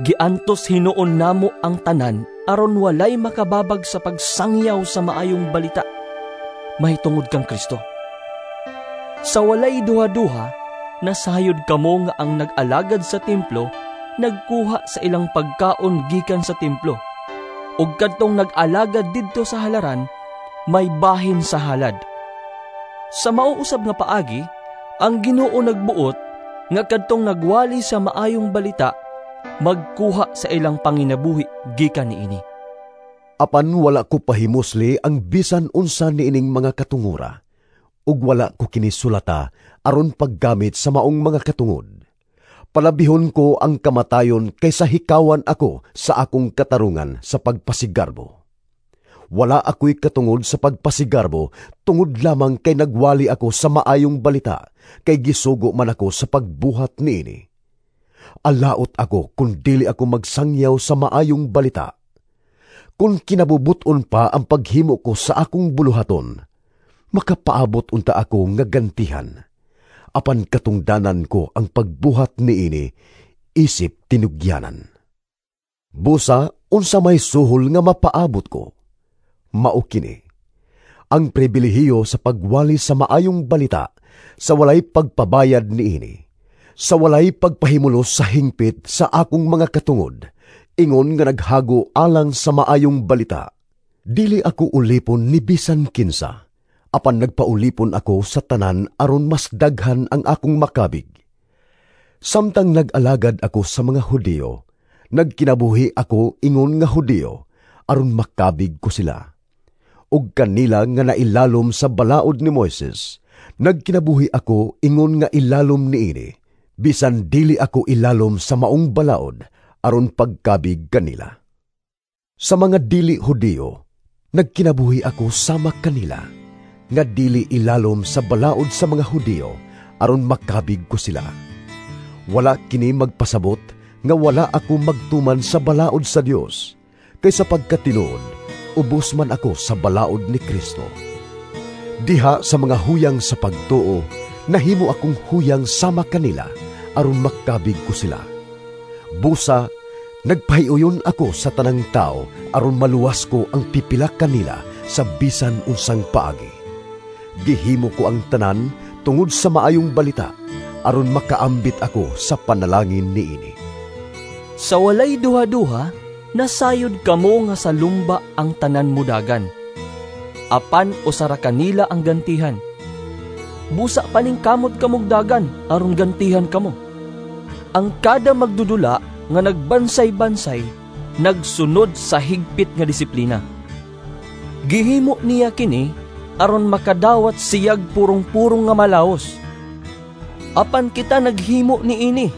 Giantos hinuon namo ang tanan aron walay makababag sa pagsangyaw sa maayong balita mahitungod kang Kristo. Sa walay duha-duha, nasayod kamo nga ang nag-alagad sa templo nagkuha sa ilang pagkaon gikan sa templo, ug kadtong nag-alagad didto sa halaran may bahin sa halad. Sa mauusab nga paagi, ang Ginoo nagbuot nga kadtong nagwali sa maayong balita magkuha sa ilang panginabuhi gikan niini. Apan wala ko pahimusli ang bisan unsa niining mga katungura, ug wala ko kini sulata aron paggamit sa maong mga katungod. Palabihon ko ang kamatayon kaysa hikawan ako sa akong katarungan sa pagpasigarbo. Wala ako'y katungod sa pagpasigarbo tungod lamang kay nagwali ako sa maayong balita, kay gisugo man ako sa pagbuhat niini. Alaot ako kung dili ako magsangyaw sa maayong balita. Kung kinabubuton pa ang paghimo ko sa akong buluhaton, makapaabot unta ako nga gantihan. Apan katungdanan ko ang pagbuhat niini, isip tinugyanan. Busa, unsa may suhol nga mapaabot ko. Mao kini ang pribilehiyo sa pagwali sa maayong balita sa walay pagpabayad niini, sa walay pagpahimulos sa hingpit sa akong mga katungod, ingon nga naghago alang sa maayong balita. Dili ako ulipon ni bisan kinsa, apan nagpaulipon ako sa tanan aron mas daghan ang akong makabig. Samtang nag-alagad ako sa mga Hudiyo, nagkinabuhi ako ingon nga Hudiyo aron makabig ko sila. Ug kanila nga nailalom sa balaod ni Moises, nagkinabuhi ako ingon nga ilalom niini, bisan dili ako ilalom sa maong balaod aron pagkabig kanila. Sa mga dili Hudiyo, nagkinabuhi ako sama kanila, nga dili ilalom sa balaod sa mga Hudiyo aron makabig ko sila. Wala kini magpasabot nga wala ako magtuman sa balaod sa Dios, kay sa pagkatinuod ubos man ako sa balaod ni Kristo. Diha sa mga huyang sa pagtuo, nahimo akong huyang sama kanila aron makabig ko sila. Busa, nagpahiuyon ako sa tanang tao aron maluwas ko ang pipila kanila sa bisan unsang paagi. Gihimo ko ang tanan tungod sa maayong balita aron makaambit ako sa panalangin niini. Sa walay duha-duha, nasayod kamo nga sa lumba ang tanan mudagan. Apan usara kanila ang gantihan. Busa paning kamot kamog dagan aron gantihan kamo. Ang kada magdudula nga nagbansay-bansay nagsunod sa higpit nga disiplina. Gihimo niya kini aron makadawat siyag purong-purong nga malaos. Apan kita naghimo niini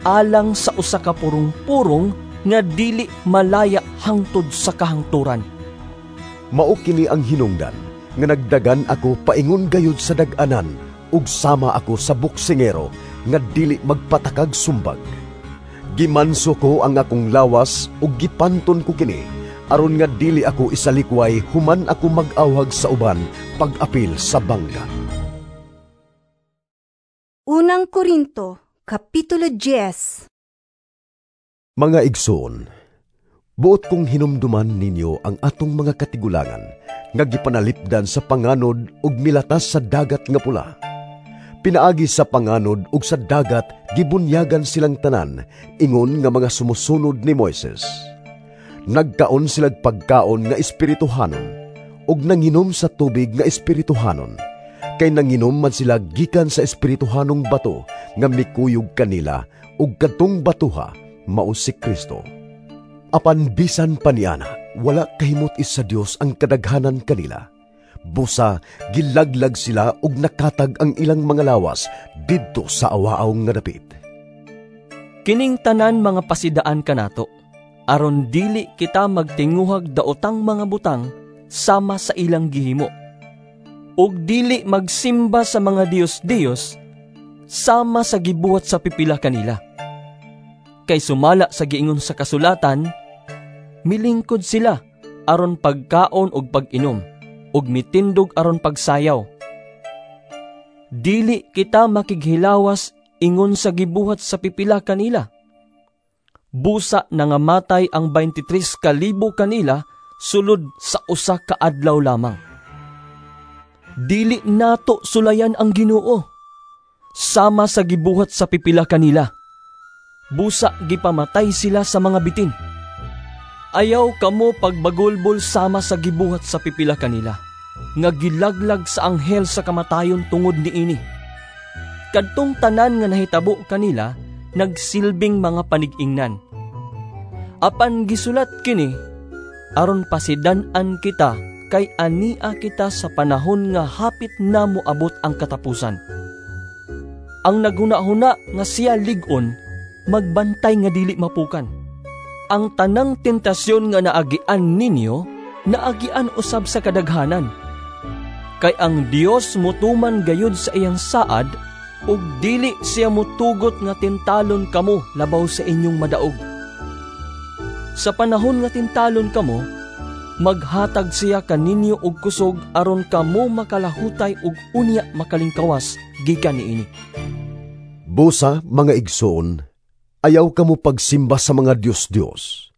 alang sa usa ka purong-purong nga dili malaya hangtod sa kahangturan. Mao kini ang hinungdan nga nagdagan ako paingon gayud sa dag-anan ug sama ako sa buksingero nga dili magpatakag sumbag. Gimanso ko ang akong lawas ug gipanton ko kini aron nga dili ako isalikway human ako mag-awhag sa uban pag-apil sa bangka. Unang Korinto, Kapitulo 10. Mga igsoon, buot kong hinumduman ninyo ang atong mga katigulangan nga gipanalipdan sa panganod ug milatas sa dagat nga pula. Pinaagi sa panganod ug sa dagat gibunyagan silang tanan ingon nga mga sumusunod ni Moises. Nagkaon silag pagkaon nga espirituhanon ug nanginom sa tubig nga espirituhanon, kay nanginom man sila gikan sa espirituhanong bato nga mikuyog kanila ug kadtong batuha mao si Kristo. Apan bisan pa niana, wala kahimot is sa Dios ang kadaghanan kanila. Busa, gilaglag sila ug nakatag ang ilang mga lawas didto sa awaaw nga dapit. Kining tanan mga pasidaan kanato, aron dili kita magtinguhag daotang mga butang sama sa ilang gihimo. Ug dili magsimba sa mga Diyos-Diyos sama sa gibuhat sa pipila kanila. Kay sumala sa giingon sa kasulatan, milingkod sila aron pagkaon ug pag-inom, ug mitindog aron pagsayaw. Dili kita makighilawas ingon sa gibuhat sa pipila kanila. Busa nangamatay ang 23,000 kanila sulod sa usa ka adlaw lamang. Dili nato sulayan ang Ginoo sama sa gibuhat sa pipila kanila. Busa gipamatay sila sa mga bitin. Ayaw kamo pagbagulbol sama sa gibuhat sa pipila kanila, nga gilaglag sa anghel sa kamatayon tungod niini. Kadtong tanan nga nahitabo kanila, nagsilbing mga panig-ingnan. Apan gisulat kini, aron pasidan-an kita, kay ania kita sa panahon nga hapit na moabot ang katapusan. Ang naghuna-huna nga siya lig-on, magbantay nga dili mapukan. Ang tanang tentasyon nga naagian ninyo, naagian usab sa kadaghanan. Kay ang Dios mutuman gayud sa iyang saad, ug dili siya mutugot nga tintalon kamo labaw sa inyong madaog. Sa panahon nga tintalon kamo, maghatag siya kaninyo og kusog aron kamo makalahutay ug unya makalingkawas gikan niini. Busa, mga igsoon, ayaw kamo pagsimba sa mga Diyos-Diyos.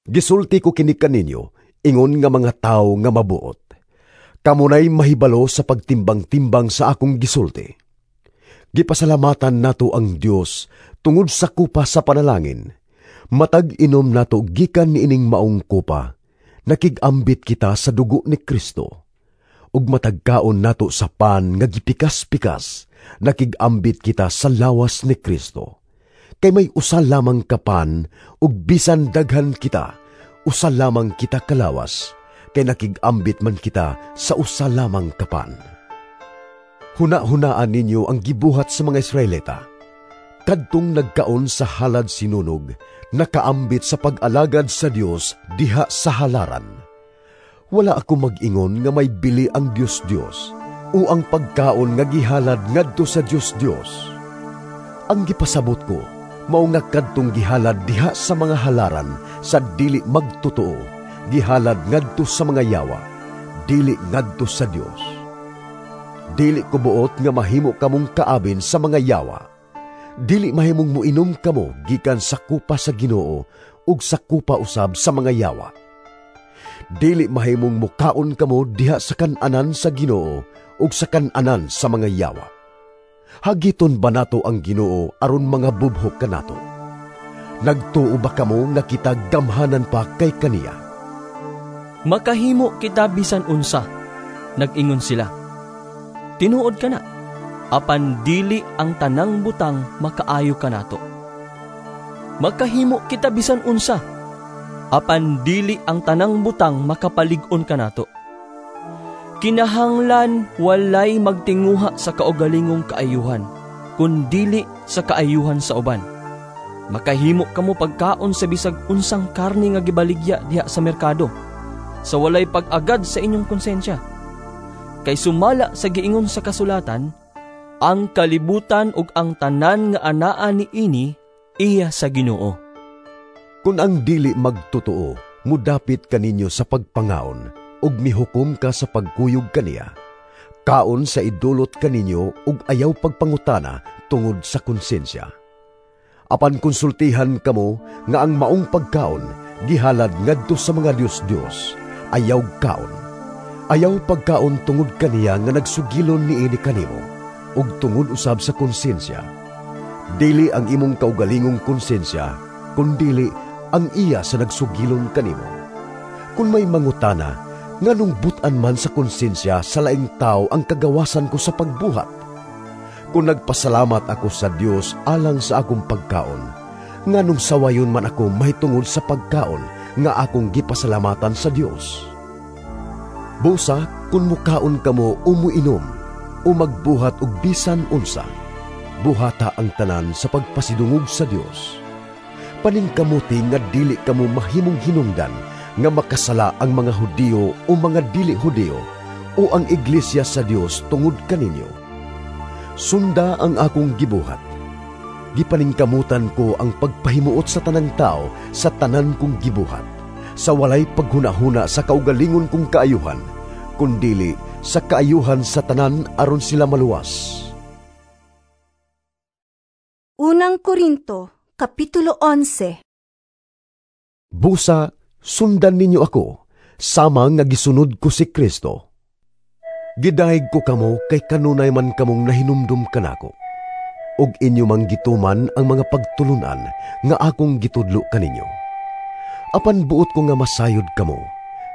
Gisulti ko kini kaninyo, ingon nga mga tawo nga mabuot. Kamunay mahibalo sa pagtimbang-timbang sa akong gisulti. Gipasalamatan nato ang Dios tungod sa kupa sa panalangin. Matag inom nato gikan niining maong kupa, nakig-ambit kita sa dugo ni Kristo. Ug matagkaon nato sa pan nga gipikas-pikas, nakig-ambit kita sa lawas ni Kristo. Kay may usa lamang kapan, ug bisan daghan kita, usa lamang kita kalawas, kay nakig-ambit man kita sa usa lamang kapan. Huna-hunaan ninyo ang gibuhat sa mga Israelita. Kadtong nagkaon sa halad sinunog, nakaambit sa pag-alagad sa Dios diha sa halaran. Wala ako mag-ingon nga may bili ang Dios-Dios o ang pagkaon nga gihalad ngadto sa Dios-Dios. Ang gipasabot ko, mao nga kadtong gihalad diha sa mga halaran sa dili magtotoo, gihalad ngadto sa mga yawa, dili ngadto sa Dios. Dili ko buot nga mahimo kamong kaabin sa mga yawa. Dili mahimong muinom kamo gikan sa kupa sa Ginoo ug sa kupa usab sa mga yawa. Dili mahimong mukaon kamo diha sa kan-anan sa Ginoo ug sa kan-anan sa mga yawa. Hagiton ba nato ang Ginoo aron mga bubhok kanato? Nagtuo ba kamo nga kita gamhanan pa kay kaniya? Makahimo kita bisan unsa, nag-ingon sila. Tinuod ka na, apan dili ang tanang butang makaayo kanato. Makahimo kita bisan unsa, apan dili ang tanang butang makapalig-on kanato. Kinahanglan walay magtinguha sa kaugalingong kaayuhan, kun dili sa kaayuhan sa uban. Makahimo kamo pagkaon sa bisag unsang karne nga gibaligya diha sa merkado, sa walay pag-agad sa inyong konsensya. Kay sumala sa giingon sa kasulatan, ang kalibutan ug ang tanan nga anaa niini iya sa Ginoo. Kun ang dili magtotoo, mudapit kaninyo sa pagpangaon, ug mihukom ka sa pagkuyog kaniya. Kaon sa idulot kaninyo ug ayaw pagpangutana tungod sa konsensya. Apan konsultihan kamo nga ang maong pagkaon gihalad ngadto sa mga Dios-Dios, ayaw kaon. Ayaw pagkaon tungod kaniya nga nagsugilon niini kanimo, ug tungod usab sa konsensya. Dili ang imong kaugalingong konsensya, kundili ang iya sa nagsugilon kanimo. Kung may mangutana, nganong butan man sa konsensya sa laing tao ang kagawasan ko sa pagbuhat? Kung nagpasalamat ako sa Dios alang sa akong pagkaon, Nganong sawayon man ako mahitungod sa pagkaon nga akong gipasalamatan sa Dios? Busa kun mukaon kamo o muinom o magbuhat og bisan unsa, buhata ang tanan sa pagpasidungog sa Dios. Paningkamuti nga dili kamo mahimong hinungdan nga makasala ang mga Hudiyo o mga dili Hudiyo o ang iglesia sa Dios tungod kaninyo. Sunda ang akong gibuhat. Gipaningkamutan ko ang pagpahimuot sa tanang tao sa tanan kong gibuhat, sa walay paghunahuna sa kaugalingon kong kaayuhan, kundili sa kaayuhan sa tanan aron sila maluwas. Unang Korinto, Kapitulo 11. Busa, sundan ninyo ako, sama nga gisunod ko si Kristo. Gidahig ko kamo kay kanunay man kamong nahinumdum kanako, ug inyo mang gituman ang mga pagtulunan nga akong gitudlo kaninyo. Apan buot ko nga masayod kamo,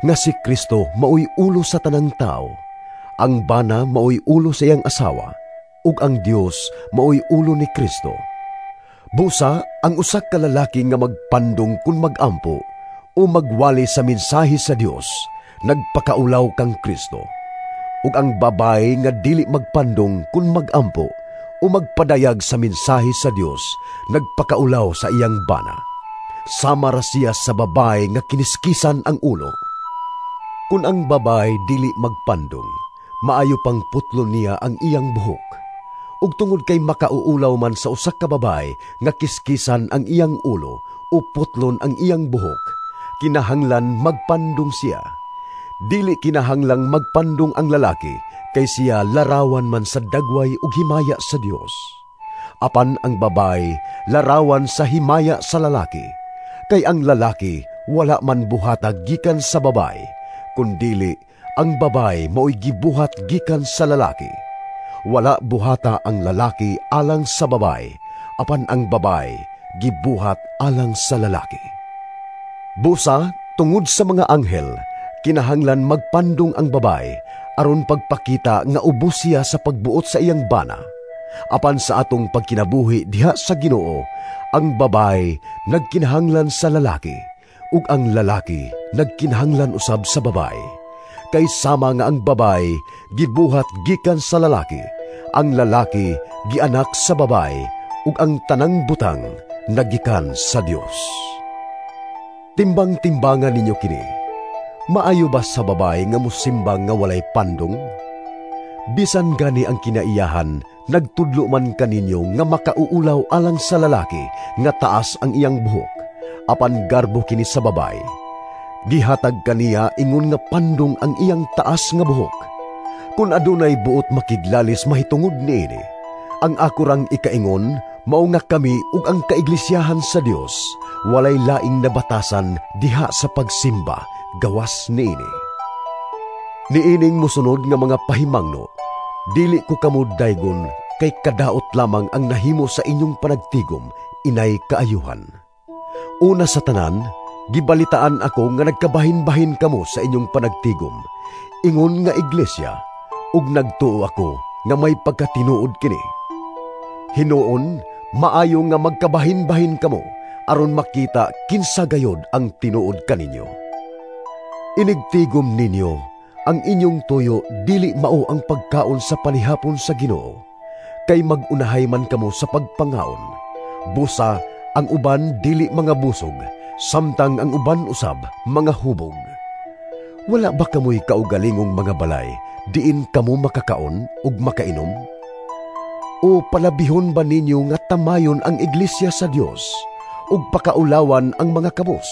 nga si Kristo maoy ulo sa tanang tao, ang bana maoy ulo sa iyang asawa, ug ang Dios maoy ulo ni Kristo. Busa, ang usa ka lalaki nga magpandong kun magampo o magwali sa mensahe sa Dios, nagpakaulaw kang Kristo. Ug ang babae nga dili magpandong kun magampo o magpadayag sa mensahe sa Dios, nagpakaulaw sa iyang bana. Sama ra siya sa babae nga kiniskisan ang ulo. Kun ang babae dili magpandong, maayo pang putlon niya ang iyang buhok. Ug tungod kay makauulaw man sa usa ka babae nga kiskisan ang iyang ulo o putlon ang iyang buhok, kinahanglan magpandong siya. Dili kinahanglang magpandong ang lalaki, kay siya larawan man sa dagway ug himaya sa Dios. Apan ang babae larawan sa himaya sa lalaki, kay ang lalaki wala man buhata gikan sa babae, kundili ang babae mao'y gibuhat gikan sa lalaki. Wala buhata ang lalaki alang sa babae, apan ang babae gibuhat alang sa lalaki. Busa, tungod sa mga anghel, kinahanglan magpandong ang babae aron pagpakita nga ubos siya sa pagbuot sa iyang bana. Apan sa atong pagkinabuhi diha sa Ginoo, ang babae nagkinahanglan sa lalaki, ug ang lalaki nagkinahanglan usab sa babae. Kay sama nga ang babae gibuhat gikan sa lalaki, ang lalaki gianak sa babae, ug ang tanang butang nagikan sa Dios. Timbang-timbangan ninyo kini. Maayo ba sa babae nga mosimbang nga walay pandong? Bisan gani ang kinaiyahan, nagtudlo man kaninyo nga makauulaw alang sa lalaki nga taas ang iyang buhok, apan garbo kini sa babae. Gihatag kaniya ingon nga pandong ang iyang taas nga buhok. Kun adunay buot makiglalis mahitungod niini, ang ako rang ikaingon mao nga kami ug ang kaiglesyahan sa Dios walay laing nabatasan diha sa pagsimba gawas niini. Niining mosunod nga mga pahimangno, dili ko kamo daygon kay kadaot lamang ang nahimo sa inyong panagtigom inay kaayuhan. Una sa tanan, gibalitaan ako nga nagkabahin-bahin kamo sa inyong panagtigom, ingon nga iglesia, ug nagtuo ako nga may pagkatinuod kini. Hinuon, maayo nga magkabahin-bahin kamo aron makita kinsa gayod ang tinuod kaninyo. Inigtigom ninyo, ang inyong tuyo dili mao ang pagkaon sa panihapon sa Ginoo, kay magunahay man kamo sa pagpangaon. Busa ang uban dili mga busog, samtang ang uban usab mga hubog. Wala ba kamoy kaugalingong mga balay, diin kamo makakaon ug makainom? O palabihon ba ninyo nga tamayon ang iglesia sa Dios ug pakaulawan ang mga kabos?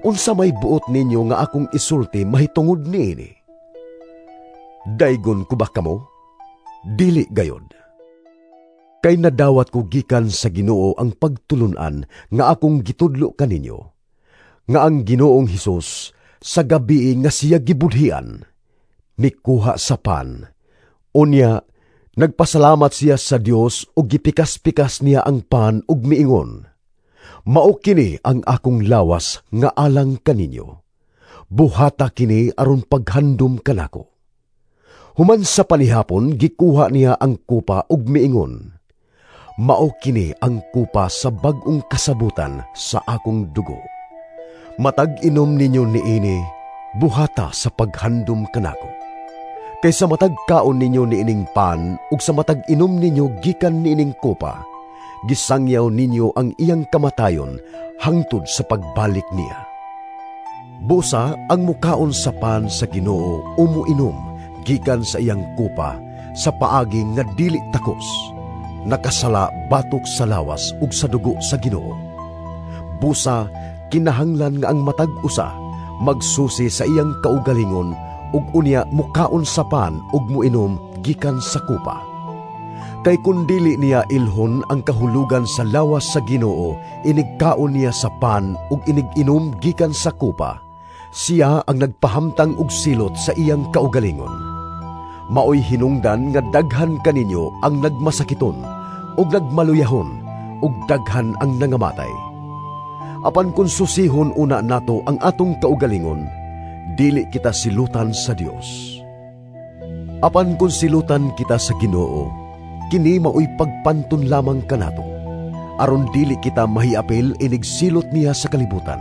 Unsa may buot ninyo nga akong isulti mahitungod niini? Daygon ko ba kamo? Dili gayod. Kay nadawat ko gikan sa Ginoo ang pagtulun-an nga akong gitudlo kaninyo, nga ang Ginoong Hesus sa gabii nga siya gibudhian, mikuha sa pan. Unya, nagpasalamat siya sa Dios ug gipikas-pikas niya ang pan ug miingon, "Mao kini ang akong lawas nga alang kaninyo. Buhata kini aron paghandom kanako." Human sa panihapon, gikuha niya ang kupa ug miingon, Mao kini ang kupa sa bag-ong kasabutan sa akong dugo. Matag inom ninyo niini, buhata sa paghandom kanako. Kay sa matag kaon ninyo niining pan ug sa matag inom ninyo gikan niining kupa, gisangyaw ninyo ang iyang kamatayon hangtod sa pagbalik niya. Busa ang mukaon sa pan sa Ginoo o muinom gikan sa iyang kupa sa paagi nga dili takos, nakasala batok sa lawas ug sa dugo sa Ginoo. Busa kinahanglan nga ang matag usa magsusi sa iyang kaugalingon ug unya mukaon sa pan ug muinom gikan sa kupa. Kay kun dili niya ilhon ang kahulugan sa lawas sa Ginoo, inigkaon niya sa pan ug iniginom gikan sa kupa, siya ang nagpahamtang og silot sa iyang kaugalingon. Maoy hinungdan nga daghan kaninyo ang nagmasakiton ug nagmaluyahon ug daghan ang nangamatay. Apan kung susihon una nato ang atong kaugalingon, dili kita silutan sa Dios. Apan kung silutan kita sa Ginoo, kini maoy pagpanton lamang kanato, aron dili kita mahiapil inig silot niya sa kalibutan.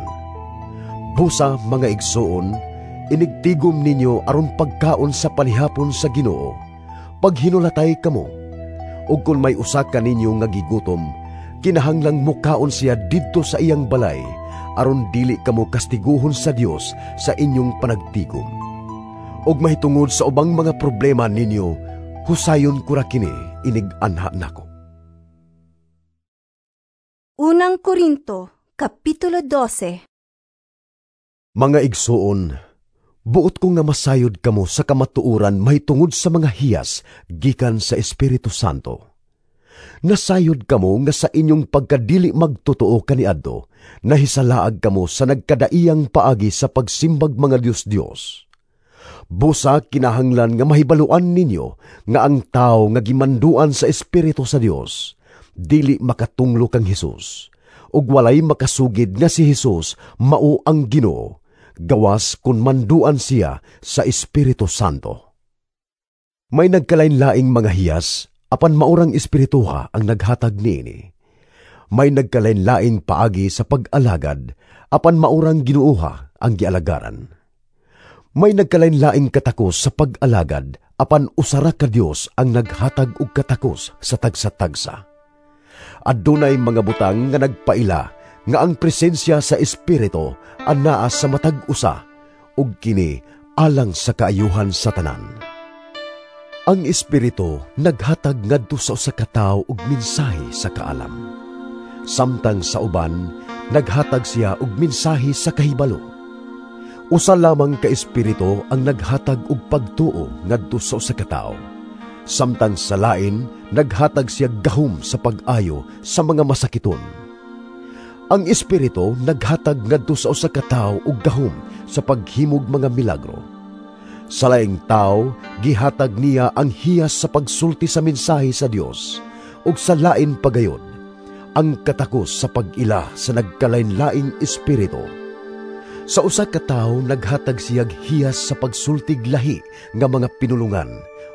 Busa mga igsoon, inigtigom ninyo aron pagkaon sa panihapon sa Ginoo, paghinulatay kamo. Ug kun may usa kaninyo nga gigutom, kinahanglang mukaon siya didto sa iyang balay, aron dili kamo kastiguhon sa Dios sa inyong panagtigom. Ug mahitungod sa ubang mga problema ninyo, husayon ko ra kini inig-anha nako. Unang Korinto, Kapitulo 12. Mga igsoon, buot ko nga masayod kamo sa kamatuoran mahitungod sa mga hiyas gikan sa Espiritu Santo. Nasayod kamo nga sa inyong pagkadili magtotoo kaniadto, nahisalaag kamo sa nagkadaiyang paagi sa pagsimbag mga Dios-Dios. Busa kinahanglan nga mahibaluan ninyo nga ang tao nga gimanduan sa Espiritu sa Dios, dili makatunglo kang Hesus, ug walay makasugid nga si Hesus mao ang Ginoo, gawas kun manduan siya sa Espiritu Santo. May nagkalain-laing mga hiyas, apan maurang espirituha ang naghatag niini. May nagkalain-laing paagi sa pag-alagad, apan maurang Ginooha ang gialagaran. May nagkalain-laing katakos sa pag-alagad, apan usara ka Dios ang naghatag og katakos sa tagsa-tagsa. Adunay mga butang nga nagpaila nga ang presensya sa Espiritu anaa sa matag usa, ug kini alang sa kaayuhan sa tanan. Ang Espiritu naghatag ngadto sa usa ka tawo og mensahe sa kaalam. Samtang sa uban, naghatag siya og mensahe sa kahibalo. Usa lamang ka Espiritu ang naghatag og pagtuo ngadto sa usa ka tawo. Samtang sa lain, naghatag siya gahom sa pag-ayo sa mga masakiton. Ang Espiritu naghatag ngadto sa usa ka tawo og gahom sa paghimog mga milagro. Sa laing tao, gihatag niya ang hiyas sa pagsulti sa mensahe sa Dios, ug sa lain pagayon, ang katakos sa pag-ila sa nagkalain-laing espiritu. Sa usa ka tawo naghatag siyag hiyas sa pagsultig lahi nga mga pinulungan,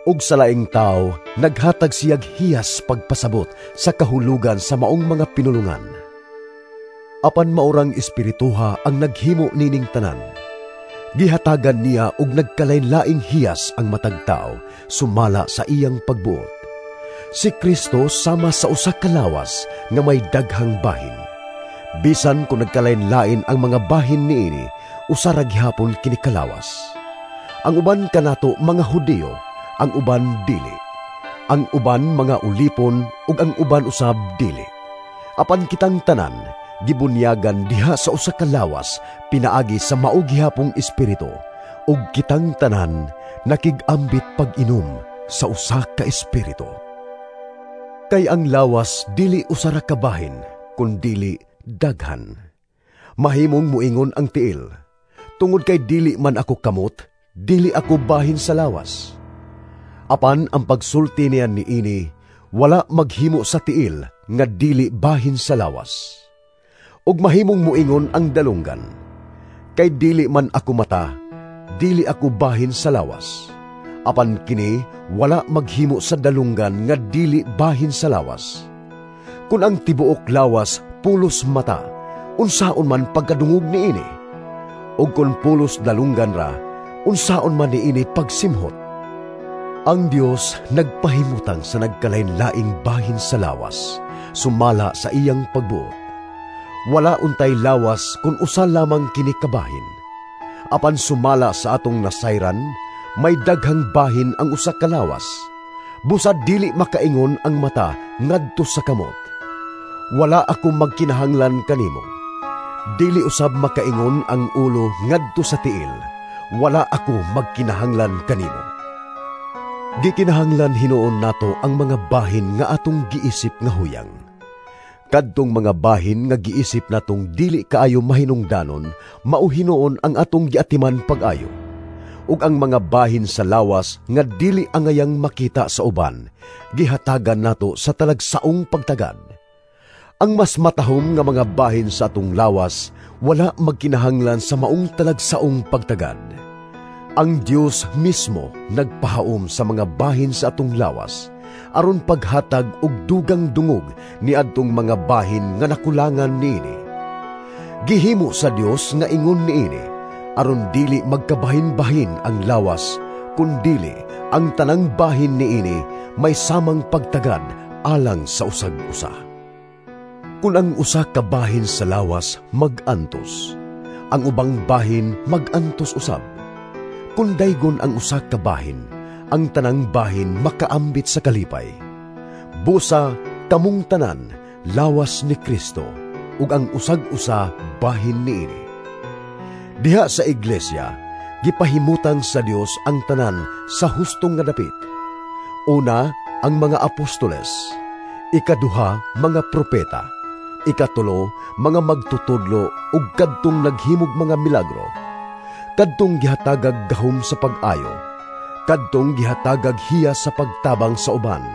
ug sa laing tawo naghatag siyag hiyas pagpasabot sa kahulugan sa maong mga pinulungan. Apan maurang espirituha ang naghimo nining tanan. Gihatagan niya og nagkalain-laing hiyas ang matag tao sumala sa iyang pagbuot. Si Kristo sama sa usa ka lawas nga may daghang bahin. Bisan kung nagkalain-lain ang mga bahin niini, usa ra gihapon kini kalawas. Ang uban kanato mga Hudiyo, ang uban dili. Ang uban mga ulipon ug ang uban usab dili. Apan kitang tanan gibunyagan diha sa usa ka lawas pinaagi sa mao gihapong espiritu, ug kitang tanan nakig-ambit pag-inom sa usa ka espiritu. Kay ang lawas dili usa ra ka bahin, kundili daghan. Mahimong muingon ang tiil, tungod kay dili man ako kamot, dili ako bahin sa lawas. Apan ang pagsulti niya niini wala maghimo sa tiil nga dili bahin sa lawas. Ug mahimong muingon ang dalunggan, kay dili man ako mata, dili ako bahin sa lawas. Apan kini wala maghimo sa dalunggan nga dili bahin sa lawas. Kung ang tibuok lawas pulos mata, unsaon man pagkadungog niini? Ug kung pulos dalunggan ra, unsaon man niini pagsimhot? Ang Dios nagpahimutang sa nagkalain-laing bahin sa lawas, sumala sa iyang pagbuot. Wala untay lawas kung usa lamang kini kabahin. Apan sumala sa atong nasayran, may daghang bahin ang usa ka lawas. Busa dili makaingon ang mata ngadto sa kamot, "Wala ako magkinahanglan kanimo." Dili usab makaingon ang ulo ngadto sa tiil, "Wala ako magkinahanglan kanimo." Gikinahanglan hinuon nato ang mga bahin nga atong giisip nga huyang. Kadtong mga bahin nga giisip natong dili kaayo mahinungdanon, mao hinuon ang atong giatiman pag-ayo. Ug ang mga bahin sa lawas nga dili angayang makita sa uban, gihatagan nato sa talagsaong pagtagad. Ang mas matahom nga mga bahin sa atong lawas, wala magkinahanglan sa maong talagsaong pagtagad. Ang Dios mismo nagpahaom sa mga bahin sa atong lawas, aron paghatag og dugang dungog niadtong mga bahin nga nakulangan niini. Gihimo sa Dios nga ingon niini, aron dili magkabahin-bahin ang lawas, kundili ang tanang bahin niini may samang pagtagad alang sa usag-usa. Kung ang usa ka bahin sa lawas mag-antos, ang ubang bahin mag-antos usab. Kung daygon ang usa ka bahin, ang tanang bahin makaambit sa kalipay. Busa kamong tanan lawas ni Kristo, ug ang usag-usa bahin niini. Diha sa iglesia, gipahimutang sa Dios ang tanan sa hustong nga dapit. Una, ang mga apostoles; ikaduha, mga propeta; ikatulo, mga magtutudlo ug kadtong naghimog mga milagro, kadtong gihatagag gahom sa pag-ayo, kadtong gihatagag hiyas sa pagtabang sa uban,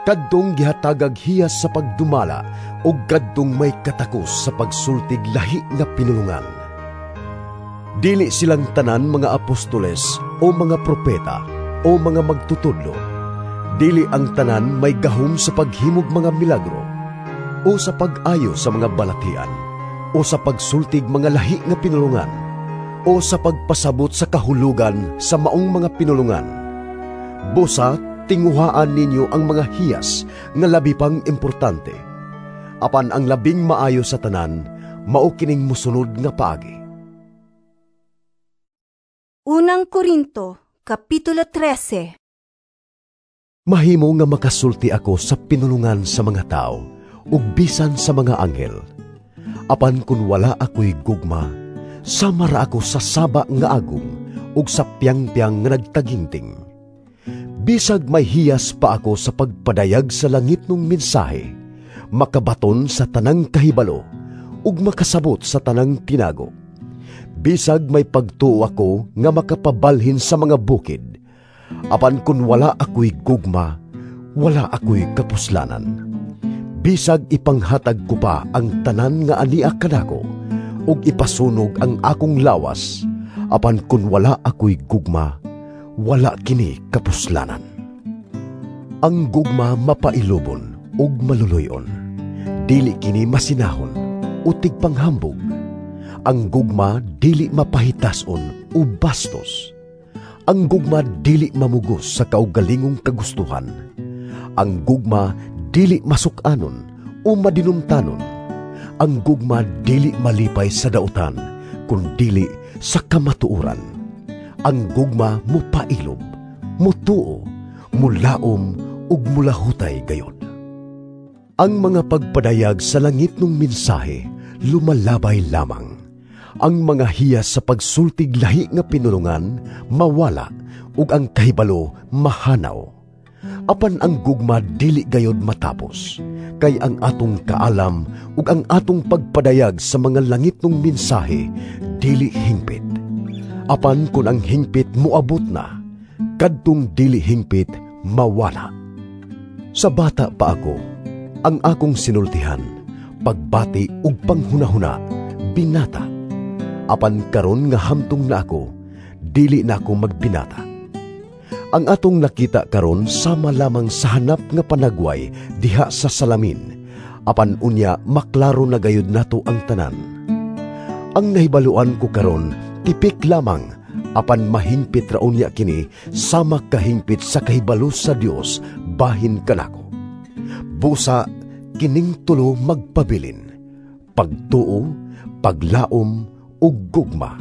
kadtong gihatagag hiyas sa pagdumala ug kadtong may katakos sa pagsultig lahi nga pinulungan. Dili silang tanan mga apostoles o mga propeta o mga magtutudlo. Dili ang tanan may gahom sa paghimog mga milagro o sa pag-ayo sa mga balatian o sa pagsultig mga lahi nga pinulungan o sa pagpasabot sa kahulugan sa maong mga pinulungan. Busa tinguhaan ninyo ang mga hiyas nga labi pang importante. Apan ang labing maayo sa tanan, mao kining mosunod nga paagi. Unang Korinto, Kapitulo 13. Mahimo nga makasulti ako sa pinulungan sa mga tao ug bisan sa mga anghel. Apan kun wala ako'y gugma, sama ra ako sa saba nga agong ug sa piyang-piyang nga nagtaginting. Bisag may hiyas pa ako sa pagpadayag sa langit nung mensahe, makabaton sa tanang kahibalo ug makasabot sa tanang tinago. Bisag may pagtuo ako nga makapabalhin sa mga bukid, apan kun wala ako'y gugma, wala ako'y kapuslanan. Bisag ipanghatag ko pa ang tanan nga ania kanako, ug ipasunog ang akong lawas, apan kun wala ako'y gugma, wala kini kapuslanan. Ang gugma mapailubon ug maluluyon. Dili kini masinahon o tigpanghambog. Ang gugma dili mapahitason o bastos. Ang gugma dili mamugos sa kaugalingong kagustuhan. Ang gugma dili masuk-anon o madinumtanon. Ang gugma dili malipay sa dautan, kun dili sa kamatuoran. Ang gugma mupailob, mutuo, mulaom ug mulahutay gayod. Ang mga pagpadayag sa langit ng mensahe lumalabay lamang. Ang mga hiyas sa pagsultig lahi nga pinulungan mawala ug ang kahibalo mahanaw. Apan ang gugma dili gayod matapos, kay ang atong kaalam ug ang atong pagpadayag sa mga langit ng mensahe dili hingpit. Apan kun ang hingpit moabot na, kadtong dili hingpit mawala. Sa bata pa ako, ang akong sinultihan, pagbati ug panghunahuna, binata. Apan karon nga hamtong na ako, dili na ako magbinata. Ang atong nakita karon sama lamang sa hanap nga panagway diha sa salamin, Apan unya maklaro na gayud nato ang tanan. Ang nahibaluan ko karon tipik lamang, apan mahingpit ra unya kini sama kahingpit sa kahibalo sa Dios bahin kanako. Busa kining tulo magpabilin: pagtuo, paglaom ug gugma.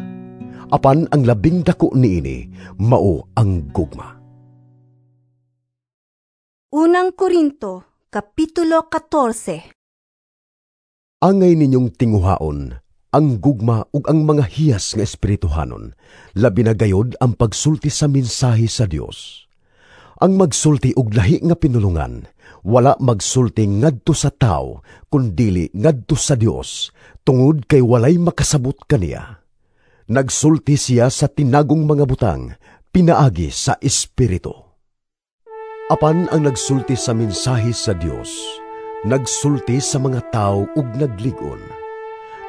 Apan ang labing dako niini mao ang gugma. Unang Korinto, Kapitulo 14. Angay ninyong tinguhaon ang gugma ug ang mga hiyas nga espirituhanon, labi na gayod ang pagsulti sa mensahe sa Dios. Ang magsulti og lahi nga pinulungan, wala magsulti ngadto sa tawo, kundili ngadto sa Dios, tungod kay walay makasabot kaniya. Nagsulti siya sa tinagong mga butang, pinaagi sa Espiritu. Apan ang nagsulti sa mensahe sa Dios, nagsulti sa mga tawo ug naglig-on,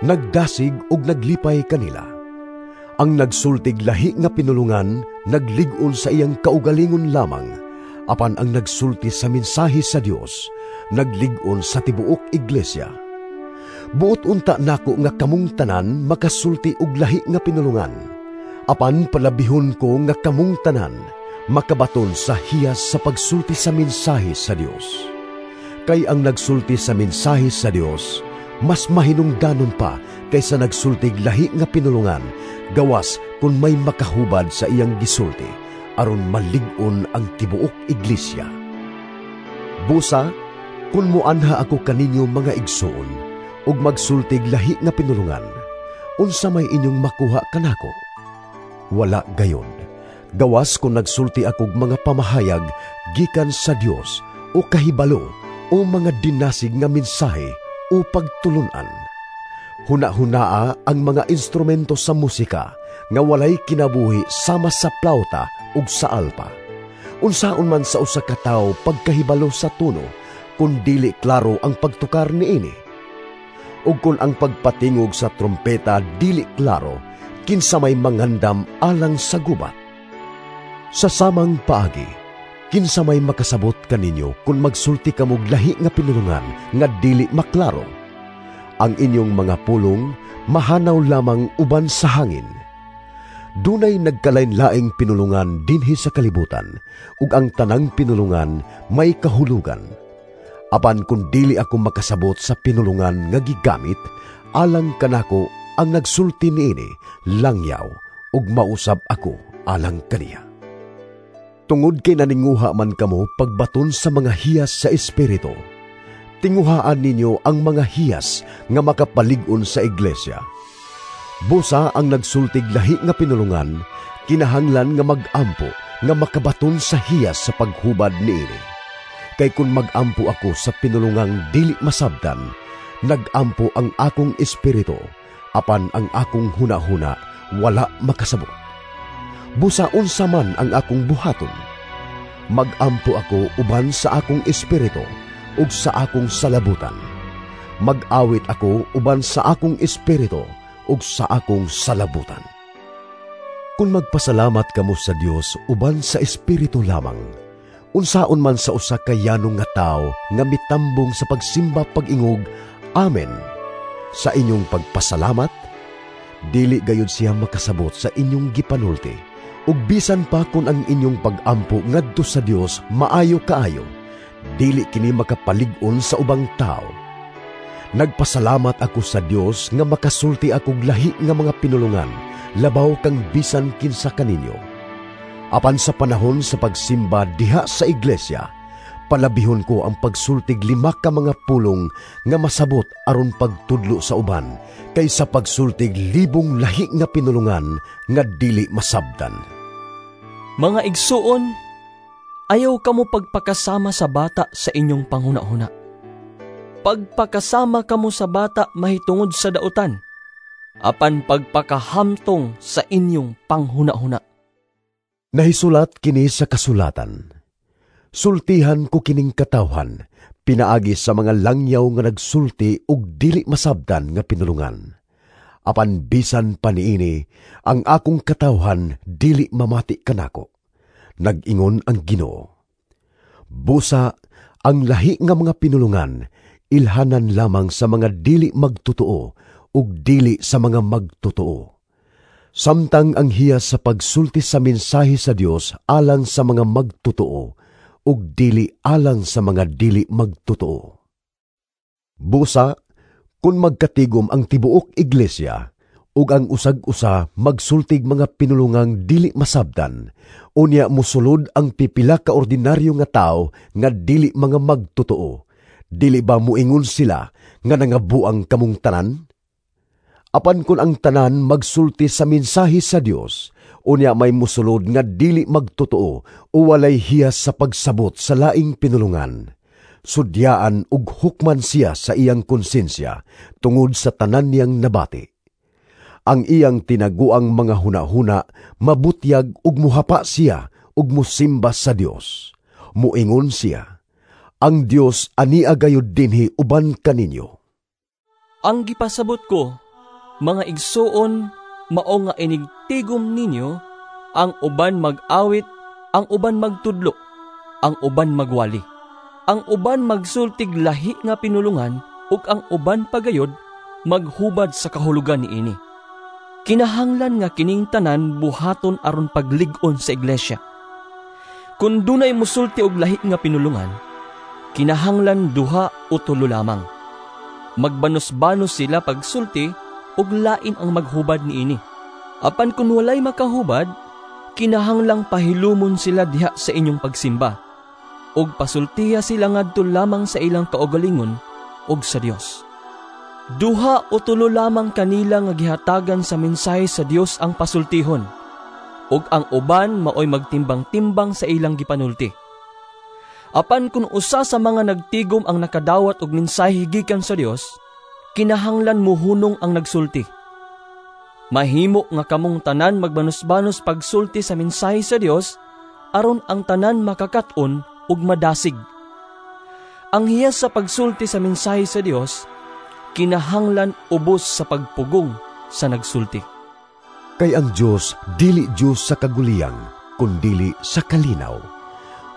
nagdasig ug naglipay kanila. Ang nagsultig lahi nga pinulungan, naglig-on sa iyang kaugalingon lamang, apan ang nagsulti sa mensahe sa Dios, naglig-on sa tibuok iglesia. Buot unta nako nga kamong tanan makasulti og lahi nga pinulungan, apan palabihon ko nga kamong tanan makabaton sa hiyas sa pagsulti sa mensahe sa Dios. Kay ang nagsulti sa mensahe sa Dios, mas mahinungdanon pa kaysa nagsultig lahi nga pinulungan, gawas kung may makahubad sa iyang gisulti, aron malig-on ang tibuok iglesia. Busa, kung muanha ako kaninyo mga igsoon, ug magsultig lahi nga pinulungan, unsa may inyong makuha kanako? Wala gayon. Gawas kung nagsulti akog mga pamahayag gikan sa Dios o kahibalo o mga dinasig nga mensahe o pagtulunan. Huna-hunaa ang mga instrumento sa musika nga walay kinabuhi sama sa plauta ug sa alpa. Unsaon man sa usa ka tawo pagkahibalo sa tono kung dili klaro ang pagtukar niini? Ug kung ang pagpatingog sa trompeta dili klaro, kinsa may mangandam alang sa gubat? Sa samang paagi, kinsa may makasabot kaninyo kung magsulti kamog lahi nga pinulungan nga dili maklaro? Ang inyong mga pulong mahanaw lamang uban sa hangin. Dunay nagkalain-laing pinulungan dinhi sa kalibutan, ug ang tanang pinulungan may kahulugan. Apan kung dili ako makasabot sa pinulungan nga gigamit, alang kanako ang nagsulti niini langyaw, ug mausab ako alang kaniya. Tungod kay naninguha man kamo pagbaton sa mga hiyas sa Espiritu, tinguhaan ninyo ang mga hiyas nga makapalig-on sa iglesia. Busa ang nagsultig lahi nga pinulungan, kinahanglan nga mag-ampo nga makabaton sa hiyas sa paghubad niini. Kay kung mag-ampo ako sa pinulungang dili masabdan, nag-ampo ang akong espiritu, apan ang akong hunahuna wala makasabot. Busa unsa man ang akong buhaton, mag-ampo ako uban sa akong espiritu ug sa akong salabutan. Mag-awit ako uban sa akong espiritu ug sa akong salabutan. Kung magpasalamat kamo sa Dios uban sa espiritu lamang, unsaon man sa usa ka yanong nga tawo nga mitambong sa pagsimba pag-ingog Amen sa inyong pagpasalamat, dili gayud siya makasabot sa inyong gipanulti. Ug bisan pa kung ang inyong pag-ampo ngadto sa Dios maayo kaayo, dili kini makapalig-on sa ubang tao. Nagpasalamat ako sa Dios nga makasulti akog lahi nga mga pinulungan, labaw kang bisan kinsa kaninyo. Apan sa panahon sa pagsimba diha sa iglesia, palabihon ko ang pagsultig 5 ka mga pulong nga masabot aron pagtudlo sa uban, kaysa pagsultig 1,000 lahi nga pinulungan nga dili masabdan. Mga igsuon, ayaw kamo pagpakasama sa bata sa inyong panghuna-huna. Pagpakasama kamo sa bata mahitungod sa dautan, apan pagpakahamtong sa inyong panghuna-huna. Nahisulat kini sa kasulatan. Sultihan ko kining katawhan, pinaagi sa mga langyaw nga nagsulti ug dili masabdan nga pinulungan. Apan bisan pa niini, ang akong katawhan dili mamati kanako. Nag-ingon ang Ginoo. Busa ang lahi nga mga pinulungan, ilhanan lamang sa mga dili magtotoo ug dili sa mga magtotoo. Samtang ang hiyas sa pagsulti sa mensahe sa Dios alang sa mga magtotoo ug dili alang sa mga dili magtotoo. Busa, kung magkatigom ang tibuok iglesia ug ang usag-usa magsultig mga pinulungang dili masabtan, unya mosulod ang pipila ka ordinaryo nga tawo nga dili mga magtotoo, dili ba muingon sila nga nangabuang kamong tanan? Apan kun ang tanan magsulti sa mensahe sa Dios, unya may musulod nga dili magtotoo o walay hiyas sa pagsabot sa laing pinulungan, sudyaan ug hukman siya sa iyang konsensya tungod sa tanan niyang nabati. Ang iyang tinaguang mga hunahuna mabutyag ug muhapa siya ug musimba sa Dios. Muingon siya, ang Dios ania gayud dinhi uban kaninyo. Ang gipasabot ko, mga igsuon, mao nga inigtigom ninyo, ang uban mag-awit, ang uban magtudlo, ang uban magwali, ang uban magsultig lahi nga pinulungan, ug ang uban pagayod maghubad sa kahulugan niini. Kinahanglan nga kining tanan buhaton aron paglig-on sa iglesia. Kun dunay musulti og lahi nga pinulungan, kinahanglan duha o tulo lamang. Magbanos-banos sila pagsulti ug lain ang maghubad niini. Apan kun walay makahubad, kinahanglang pahilumon sila diha sa inyong pagsimba, ug pasultiha sila ngadto lamang sa ilang kaugalingon ug sa Dios. Duha o tulo lamang kanila nga gihatagan sa mensahe sa Dios ang pasultihon, ug ang uban maoy magtimbang-timbang sa ilang gipanulti. Apan kun usa sa mga nagtigom ang nakadawat og mensahe gikan sa Dios, kinahanglan muhunong ang nagsulti. Mahimo nga kamong tanan magbanos-banos pagsulti sa mensahe sa Dios aron ang tanan makakat-on ug madasig. Ang hiyas sa pagsulti sa mensahe sa Dios kinahanglan ubos sa pagpugong sa nagsulti. Kay ang Dios dili Dios sa kaguliyang, kundili sa kalinaw,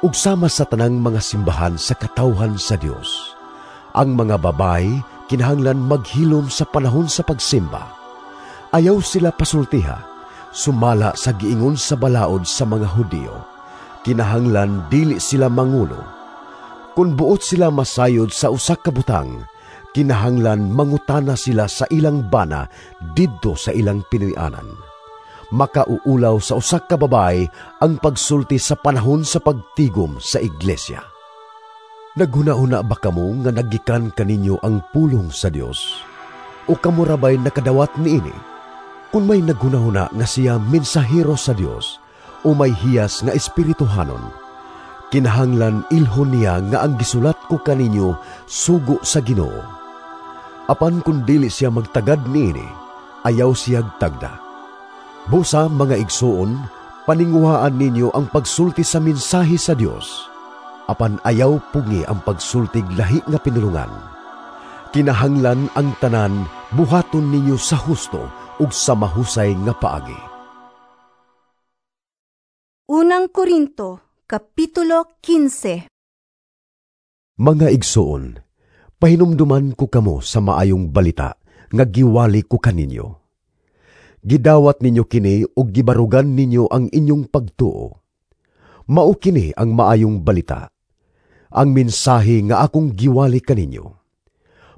ug sama sa tanang mga simbahan sa katawhan sa Dios. Ang mga babae kinahanglan maghilom sa panahon sa pagsimba. Ayaw sila pasultiha, sumala sa giingon sa balaod sa mga Hudiyo. Kinahanglan dili sila mangulo. Kung buot sila masayod sa usa ka butang, kinahanglan mangutana sila sa ilang bana didto sa ilang Pinoy-anan. Makauulaw sa usa ka babae ang pagsulti sa panahon sa pagtigom sa iglesia. Naghuna-huna ba kamo nga nagikan kaninyo ang pulong sa Dios? O kamo rabay nakadawat niini? Kung may naghuna-huna nga siya mensahero sa Dios o may hiyas nga espirituhanon, kinahanglan ilhon niya nga ang gisulat ko kaninyo sugo sa Ginoo. Apan kung dili siya magtagad niini, ayaw siya tagda. Busa mga igsuon, paninguhaan ninyo ang pagsulti sa mensahe sa Dios. Apan ayaw pugi ang pagsultig lahi nga pinulungan. Kinahanglan ang tanan buhaton ninyo sa husto ug sa mahusay nga paagi. Unang Korinto, Kapitulo 15. Mga igsuon, pahinumduman ko kamo sa maayong balita nga giwali ko kaninyo. Gidawat ninyo kini ug gibarugan ninyo ang inyong pagtuo. Mao kini ang maayong balita, ang mensahe nga akong giwali kaninyo.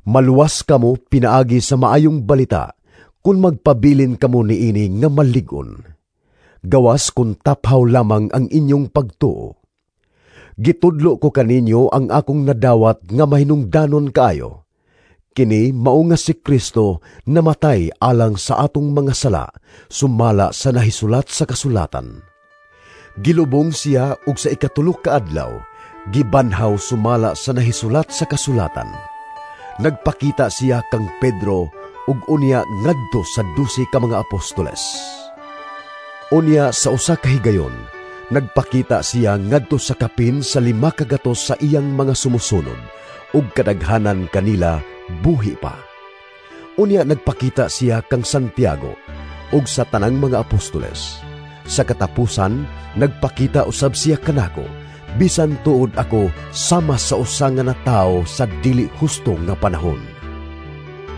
Maluwas kamo pinaagi sa maayong balita kung magpabilin kamo niini nga malig-on. Gawas kung taphaw lamang ang inyong pagtuo. Gitudlo ko kaninyo ang akong nadawat nga mahinungdanon kaayo. Kini mao nga si Kristo namatay alang sa atong mga sala, sumala sa nahisulat sa kasulatan. Gilubong siya ug sa ikatulo ka adlaw, gibanhaw sumala sa nahisulat sa kasulatan. Nagpakita siya kang Pedro ug unya ngadto sa 12 ka mga apostoles. Unya sa usa ka higayon, nagpakita siya ngadto sa kapin sa 5 ka gatos sa iyang mga sumusunod ug kadaghanan kanila buhi pa. Unya nagpakita siya kang Santiago ug sa tanang mga apostoles. Sa katapusan, nagpakita usab siya kanako bisan tuod ako sama sa usa nga natawo sa dili husto nga panahon.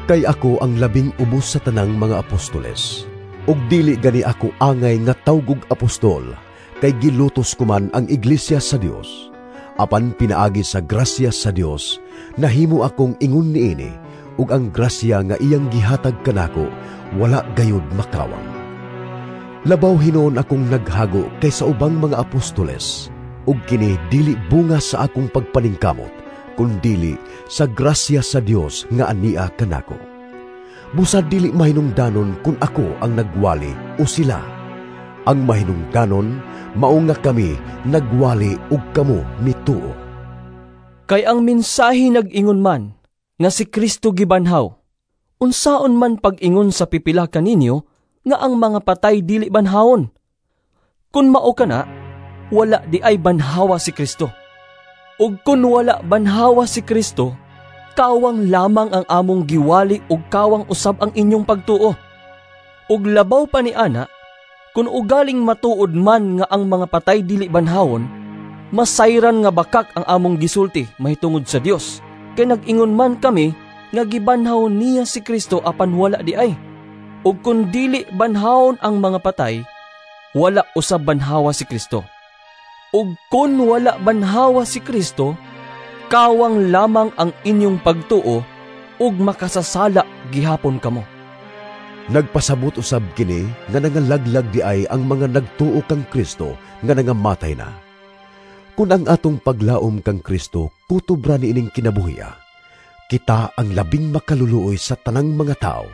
Kay ako ang labing ubos sa tanang mga apostoles, ug dili gani ako angay nga tawgog apostol, kay gilutos ko man ang iglesia sa Dios. Apan pinaagi sa grasya sa Dios, nahimo akong ingon niini, ug ang grasya nga iyang gihatag kanako wala gayud makawang. Labaw hinuon akong naghago kaysa ubang mga apostoles, ug kini dili bunga sa akong pagpaningkamot, kundili sa grasya sa Dios nga ania kanako. Busa dili mahinungdanon kung ako ang nagwali o sila. Ang mahinungdanon mao nga kami nagwali ug kamo mituo. Kay ang mensahe nag-ingon man nga si Kristo gibanhaw, unsaon man pag-ingon sa pipila kaninyo nga ang mga patay dili banhawon? Kun mao kana, wala di ay banhawa si Kristo. Ug kun wala banhawa si Kristo, kawang lamang ang among giwali ug kawang usab ang inyong pagtuo. Ug labaw pa ni ana, kun ugaling matuod man nga ang mga patay dili banhawon, masayran nga bakak ang among gisulti mahitungod sa Dios. Kay nag-ingon man kami nga gibanhaw niya si Kristo apan wala di ay. Ug kun dili banhawon ang mga patay, wala usab banhawa si Kristo. Ug kun wala banhawa si Kristo, kawang lamang ang inyong pagtuo ug makasasala gihapon kamo. Nagpasabot usab kini nga nangalaglag di ay ang mga nagtuo kang Kristo nga nangamatay na. Kun ang atong paglaom kang Kristo kutob ra niining kinabuhia, kita ang labing makaluluoy sa tanang mga tao.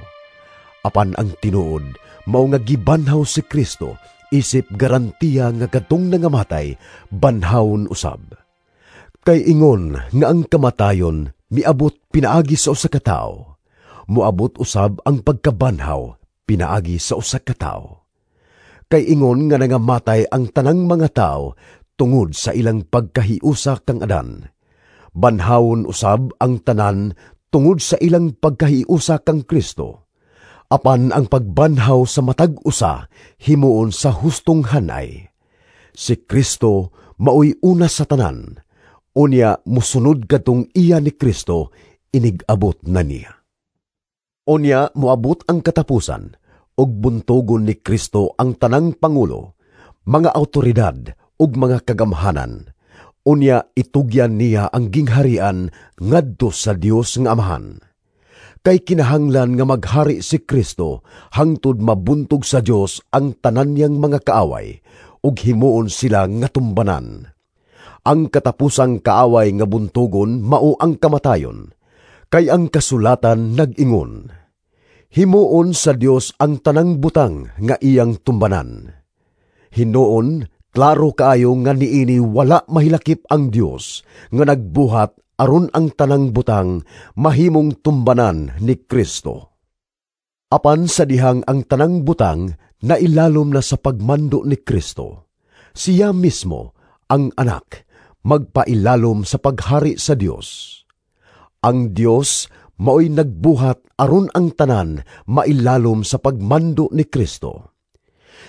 Apan ang tinuod mao nga gibanhaw si Kristo isip garantiya nga kadtong nangamatay banhawon usab. Kay ingon nga ang kamatayon miabot pinaagi sa usa ka tawo, moabot usab ang pagkabanhaw pinaagi sa usa ka tawo. Kay ingon nga nangamatay ang tanang mga tawo tungod sa ilang pagkahiusa kang Adan, banhawon usab ang tanan tungod sa ilang pagkahiusa kang Kristo. Apan ang pagbanhaw sa matag usa himuon sa hustong hanay. Si Kristo maoy una sa tanan, unya musunod kadtong iya ni Kristo inig-abot na niya. Unya moabot ang katapusan, ug buntogon ni Kristo ang tanang pangulo, mga awtoridad ug mga kagamhanan. Unya itugyan niya ang gingharian ngadto sa Dios nga Amahan. Kay kinahanglan nga maghari si Kristo hangtod mabuntog sa Dios ang tanan niyang mga kaaway ug himuon sila nga tumbanan. Ang katapusang kaaway nga buntogon mao ang kamatayon. Kay ang kasulatan nag-ingon, himuon sa Dios ang tanang butang nga iyang tumbanan. Hinuon, klaro kaayo nga niini wala mahilakip ang Dios nga nagbuhat aron ang tanang butang mahimong tumbanan ni Kristo. Apan sa dihang ang tanang butang nailalom na sa pagmando ni Kristo, siya mismo, ang anak, magpailalom sa paghari sa Dios. Ang Dios maoy nagbuhat aron ang tanan mailalom sa pagmando ni Kristo.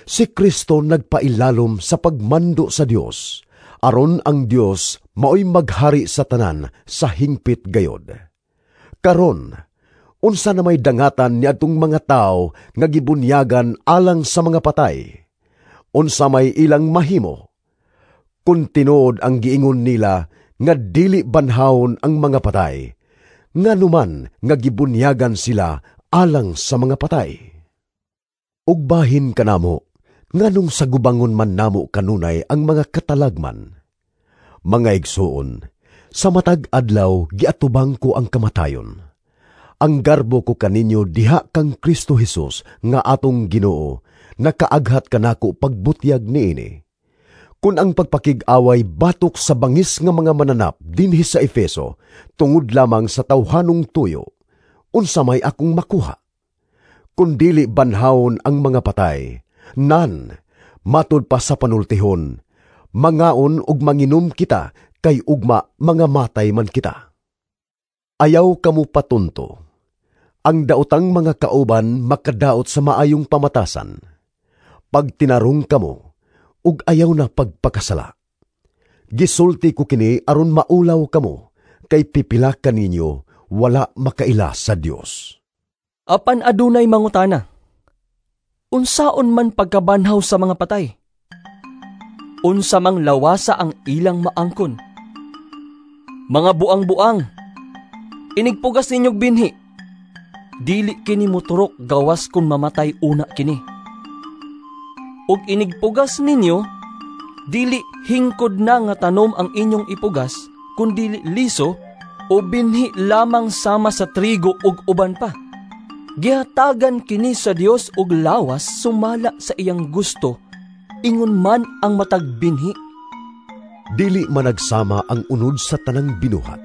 Si Kristo nagpailalom sa pagmando sa Dios, aron ang Dios maoy maghari sa tanan sa hingpit gayod. Karon, unsa na may dangatan niadtong mga tawo nga gibunyagan alang sa mga patay? Unsa may ilang mahimo? Kun tinuod ang giingon nila nga dili banhawon ang mga patay, nganuman nga gibunyagan sila alang sa mga patay? Ug bahin kanamo, nganong sagubangon man namo kanunay ang mga katalagman? Mga igsuon, sa matag adlaw giatubang ko ang kamatayon. Ang garbo ko kaninyo diha kang Kristo Hesus nga atong Ginoo, nakaaghat kanako pagbutyag niini. Kun ang pagpakig-away batok sa bangis nga mga mananap dinhi sa Efeso, tungod lamang sa tawhanong tuyo, unsa may akong makuha? Kun dili banhawon ang mga patay, nan, matud pa sa panultihon, mangaon ug manginom kita, kay ugma mga matay man kita. Ayaw kamo patunto. Ang daotang mga kauban makadaot sa maayong pamatasan. Pagtinarong kamo, ug ayaw na pagpakasala. Gisulti ko kini aron maulaw kamo, kay pipila kaninyo wala makaila sa Dios. Apan adunay mangutana, unsaon man pagkabanhaw sa mga patay? Unsa mang lawasa ang ilang maangkon? Mga buang-buang, inigpugas ninyog binhi, dili kini moturok gawas kung mamatay una kini. Ug inigpugas ninyo, dili hingkod na nga tanom ang inyong ipugas, kun dili liso o binhi lamang sama sa trigo ug uban pa. Gihatagan kini sa Dios og lawas sumala sa iyang gusto, ingon man ang matag binhi. Dili managsama ang unod sa tanang binuhat.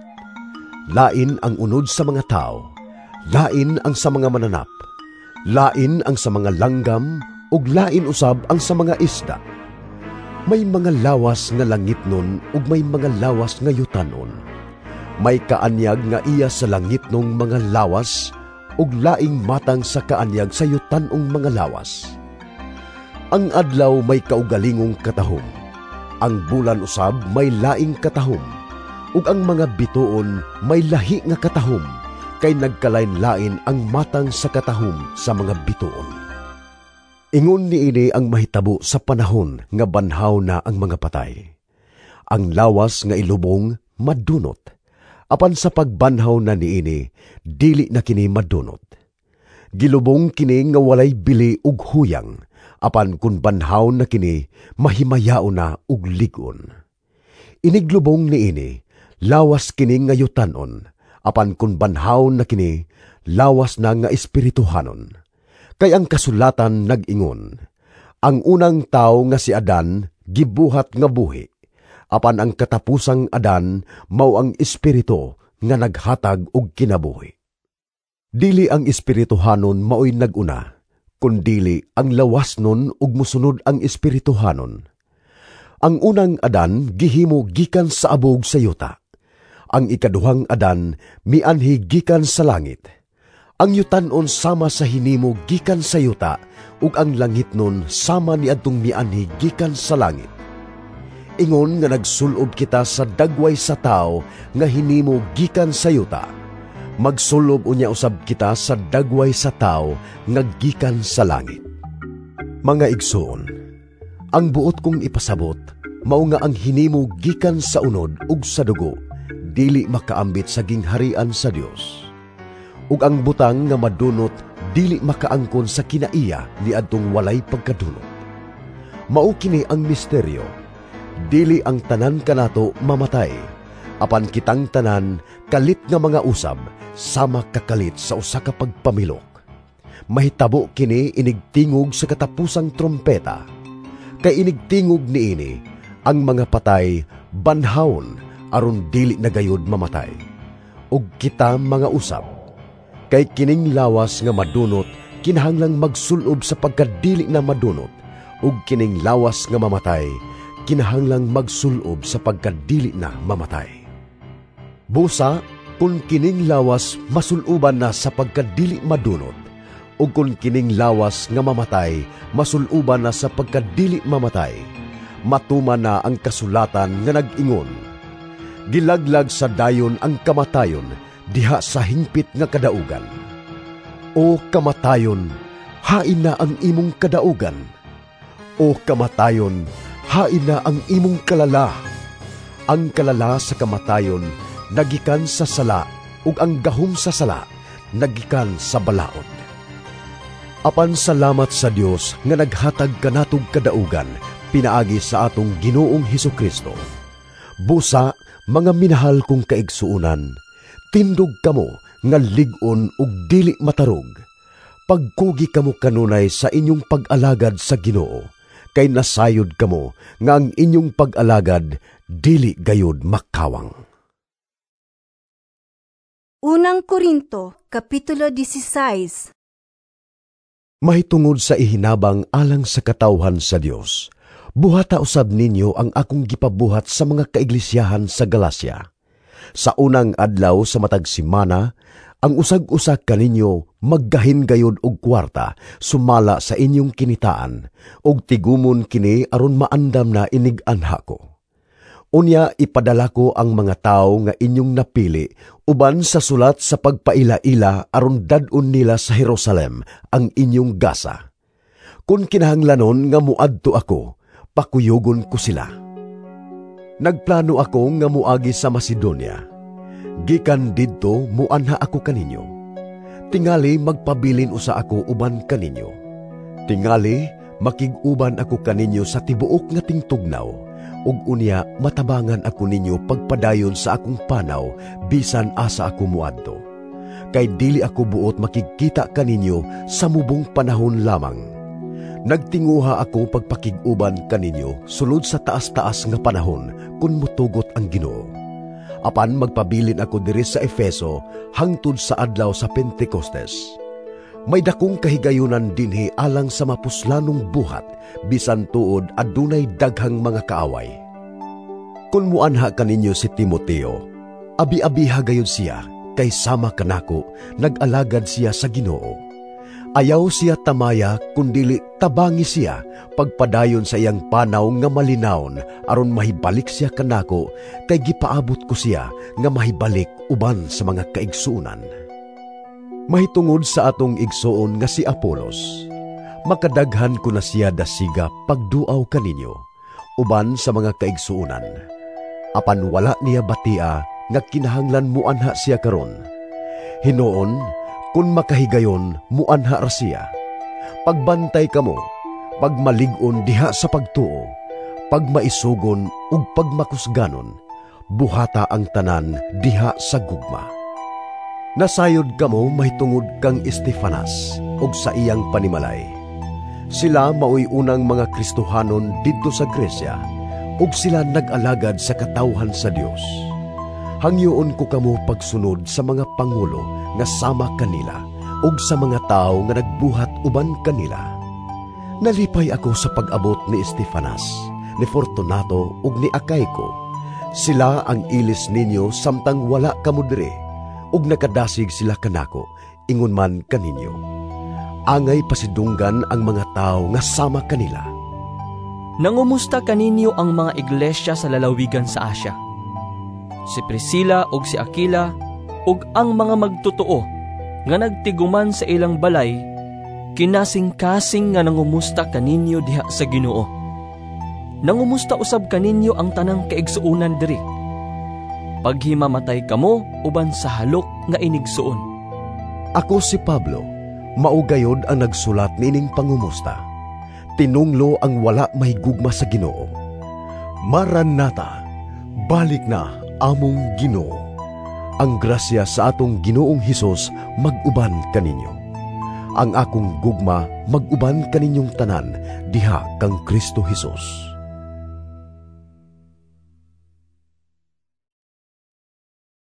Lain ang unod sa mga tao, lain ang sa mga mananap, lain ang sa mga langgam, ug lain usab ang sa mga isda. May mga lawas nga langitnon ug may mga lawas nga yutanon. May kaanyag nga iya sa langitnong mga lawas ug laing matang sa kaanyag sa yutanong mga lawas. Ang adlaw may kaugalingong katahom, ang bulan usab may laing katahom, ug ang mga bituon may lahi nga katahom, kay nagkalain-lain ang matang sa katahom sa mga bituon. Ingon niini ang mahitabo sa panahon nga banhaw na ang mga patay. Ang lawas nga ilubong madunot, apan sa pagbanhaw na niini, dili na kini madunot. Gilubong kini nga walay bili ug huyang, apan kun banhaw na kini, mahimayaon na ug lig-on. Iniglubong niini, lawas kini nga yutanon, apan kun banhaw na kini, lawas na nga espirituhanon. Kay ang kasulatan nag-ingon, ang unang tao nga si Adan gibuhat nga buhi, apan ang katapusang Adan mao ang espiritu nga naghatag og kinabuhi. Dili ang espirituhanon maoy nag-una, kundili ang lawas nun ug mosunod ang espirituhanon. Ang unang Adan gihimo gikan sa abog sa yuta. Ang ikaduhang Adan mianhi gikan sa langit. Ang yutanon sama sa hinimo gikan sa yuta, ug ang langitnon sama niadtong mianhi gikan sa langit. Ingon nga nagsulob kita sa dagway sa tao nga hinimo gikan sa yuta, magsulob unya usab kita sa dagway sa tao nga gikan sa langit. Mga igsoon, ang buot kong ipasabot mao nga ang hinimo gikan sa unod ug sa dugo dili makaambit sa gingharian sa Dios. Ug ang butang nga madunot dili makaangkon sa kinaiya niadtong walay pagkadunot. Mao kini ang misteryo. Dili ang tanan kanato mamatay, apan kitang tanan kalit nga mga usab sama kakalit sa usa ka pagpamilok. Mahitabo kini inigtingog sa katapusang trompeta. Kay inigtingog niini ang mga patay banhawon aron dili na gayud mamatay. Ug kita mga usab, kay kining lawas nga madunot kinahanglang magsulob sa pagkadili na madunot, ug kining lawas nga mamatay kinahanglang magsulob sa pagkadili na mamatay. Busa, kung kining lawas masuluban na sa pagkadili madunot, ug kung kining lawas nga mamatay masuluban na sa pagkadili mamatay, matuman na ang kasulatan nga nag-ingon, gilaglag sa dayon ang kamatayon diha sa hingpit nga kadaugan. O kamatayon, hain na ang imong kadaugan. O kamatayon, hain na ang imong kalala. Ang kalala sa kamatayon nagikan sa sala, ug ang gahom sa sala nagikan sa balaod. Apan salamat sa Dios nga naghatag kanatog kadaugan pinaagi sa atong Ginoong Hesukristo. Busa, mga minahal kong kaigsuonan, tindog kamo nga lig-on ug dili matarog. Pagkugi kamo kanunay sa inyong pag-alagad sa Ginoo, kay nasayod kamo nga ang inyong pag-alagad dili gayud makawang. Unang Korinto, Kapitulo 16. Mahitungod sa ihinabang alang sa katawhan sa Dios, buhata usab ninyo ang akong gipabuhat sa mga kaiglisyahan sa Galacia. Sa unang adlaw sa matag semana, ang usag-usa kaninyo maggahin gayud og kwarta sumala sa inyong kinitaan, og tigumon kini aron maandam na inig-anha ko. Unya ipadala ko ang mga tawo nga inyong napili uban sa sulat sa pagpaila-ila aron dad-on nila sa Jerusalem ang inyong gasa. Kun kinahanglanon nga muadto ako, pakuyugon ko sila. Nagplano ako nga muagi sa Macedonia. Gikan didto muanha ako kaninyo. Tingali magpabilin usa ako uban kaninyo. Tingali makig-uban ako kaninyo sa tibuok nga tingtugnaw, ug unya matabangan ako ninyo pagpadayon sa akong panaw bisan asa ako muadto. Kay dili ako buot makigkita kaninyo sa mubong panahon lamang. Nagtinguha ako pagpakig-uban kaninyo sulod sa taas-taas nga panahon kun mutugot ang Ginoo. Apan magpabilin ako diri sa Efeso hangtod sa adlaw sa Pentecostes. May dakong kahigayunan dinhi alang sa mapuslanong buhat, bisan tuod adunay daghang mga kaaway. Kun muanha kaninyo si Timoteo, abi-abiha gayud siya, kay sama kanako, nag-alagad siya sa Ginoo. Ayaw siya tamaya, kundili tabangi siya, pagpadayon sa iyang panaw nga malinawon, aron mahibalik siya kanako, kay gipaabot ko siya nga mahibalik uban sa mga kaigsuonan. Mahitungod sa atong igsoon nga si Apolos, makadaghan ko na siya dasiga pagduaw kaninyo, uban sa mga kaigsuonan. Apan wala niya batia nga kinahanglan muanha siya karon. Hinuon, kun makahigayon, muanha ra siya. Pagbantay kamo, pagmalig-on diha sa pagtuo, pagmaisugon ug pagmakusganon, buhata ang tanan diha sa gugma. Nasayod kamo mahitungod kang Estefanas ug sa iyang panimalay. Sila maoy unang mga Kristohanon didto sa Gresya, ug sila nag-alagad sa katawhan sa Dios. Hangyoon ko kamo pagsunod sa mga pangulo nga sama kanila ug sa mga tawo nga nagbuhat uban kanila. Nalipay ako sa pag-abot ni Estefanas, ni Fortunato ug ni Acaico. Sila ang ilis ninyo samtang wala kamo diri, ug nakadasig sila kanako, ingon man kaninyo. Angay pasidunggan ang mga tawo nga sama kanila. Nangumusta kaninyo ang mga iglesia sa lalawigan sa Asia. Si Priscilla ug si Aquila ug ang mga magtotoo nga nagtiguman sa ilang balay, kinasing-kasing nga nangumusta kaninyo diha sa Ginoo. Nangumusta usab kaninyo ang tanang kaigsuonan diri. Paghimamatay kamo uban sa halok nga inigsuon. Ako si Pablo, mao gayod ang nagsulat niining pangumusta. Tinunglo ang wala mahigugma sa Ginoo. Maranatha, balik na among Ginoo. Ang grasya sa atong Ginoong Hesus mag-uban kaninyo. Ang akong gugma mag-uban kaninyong tanan diha kang Kristo Hesus.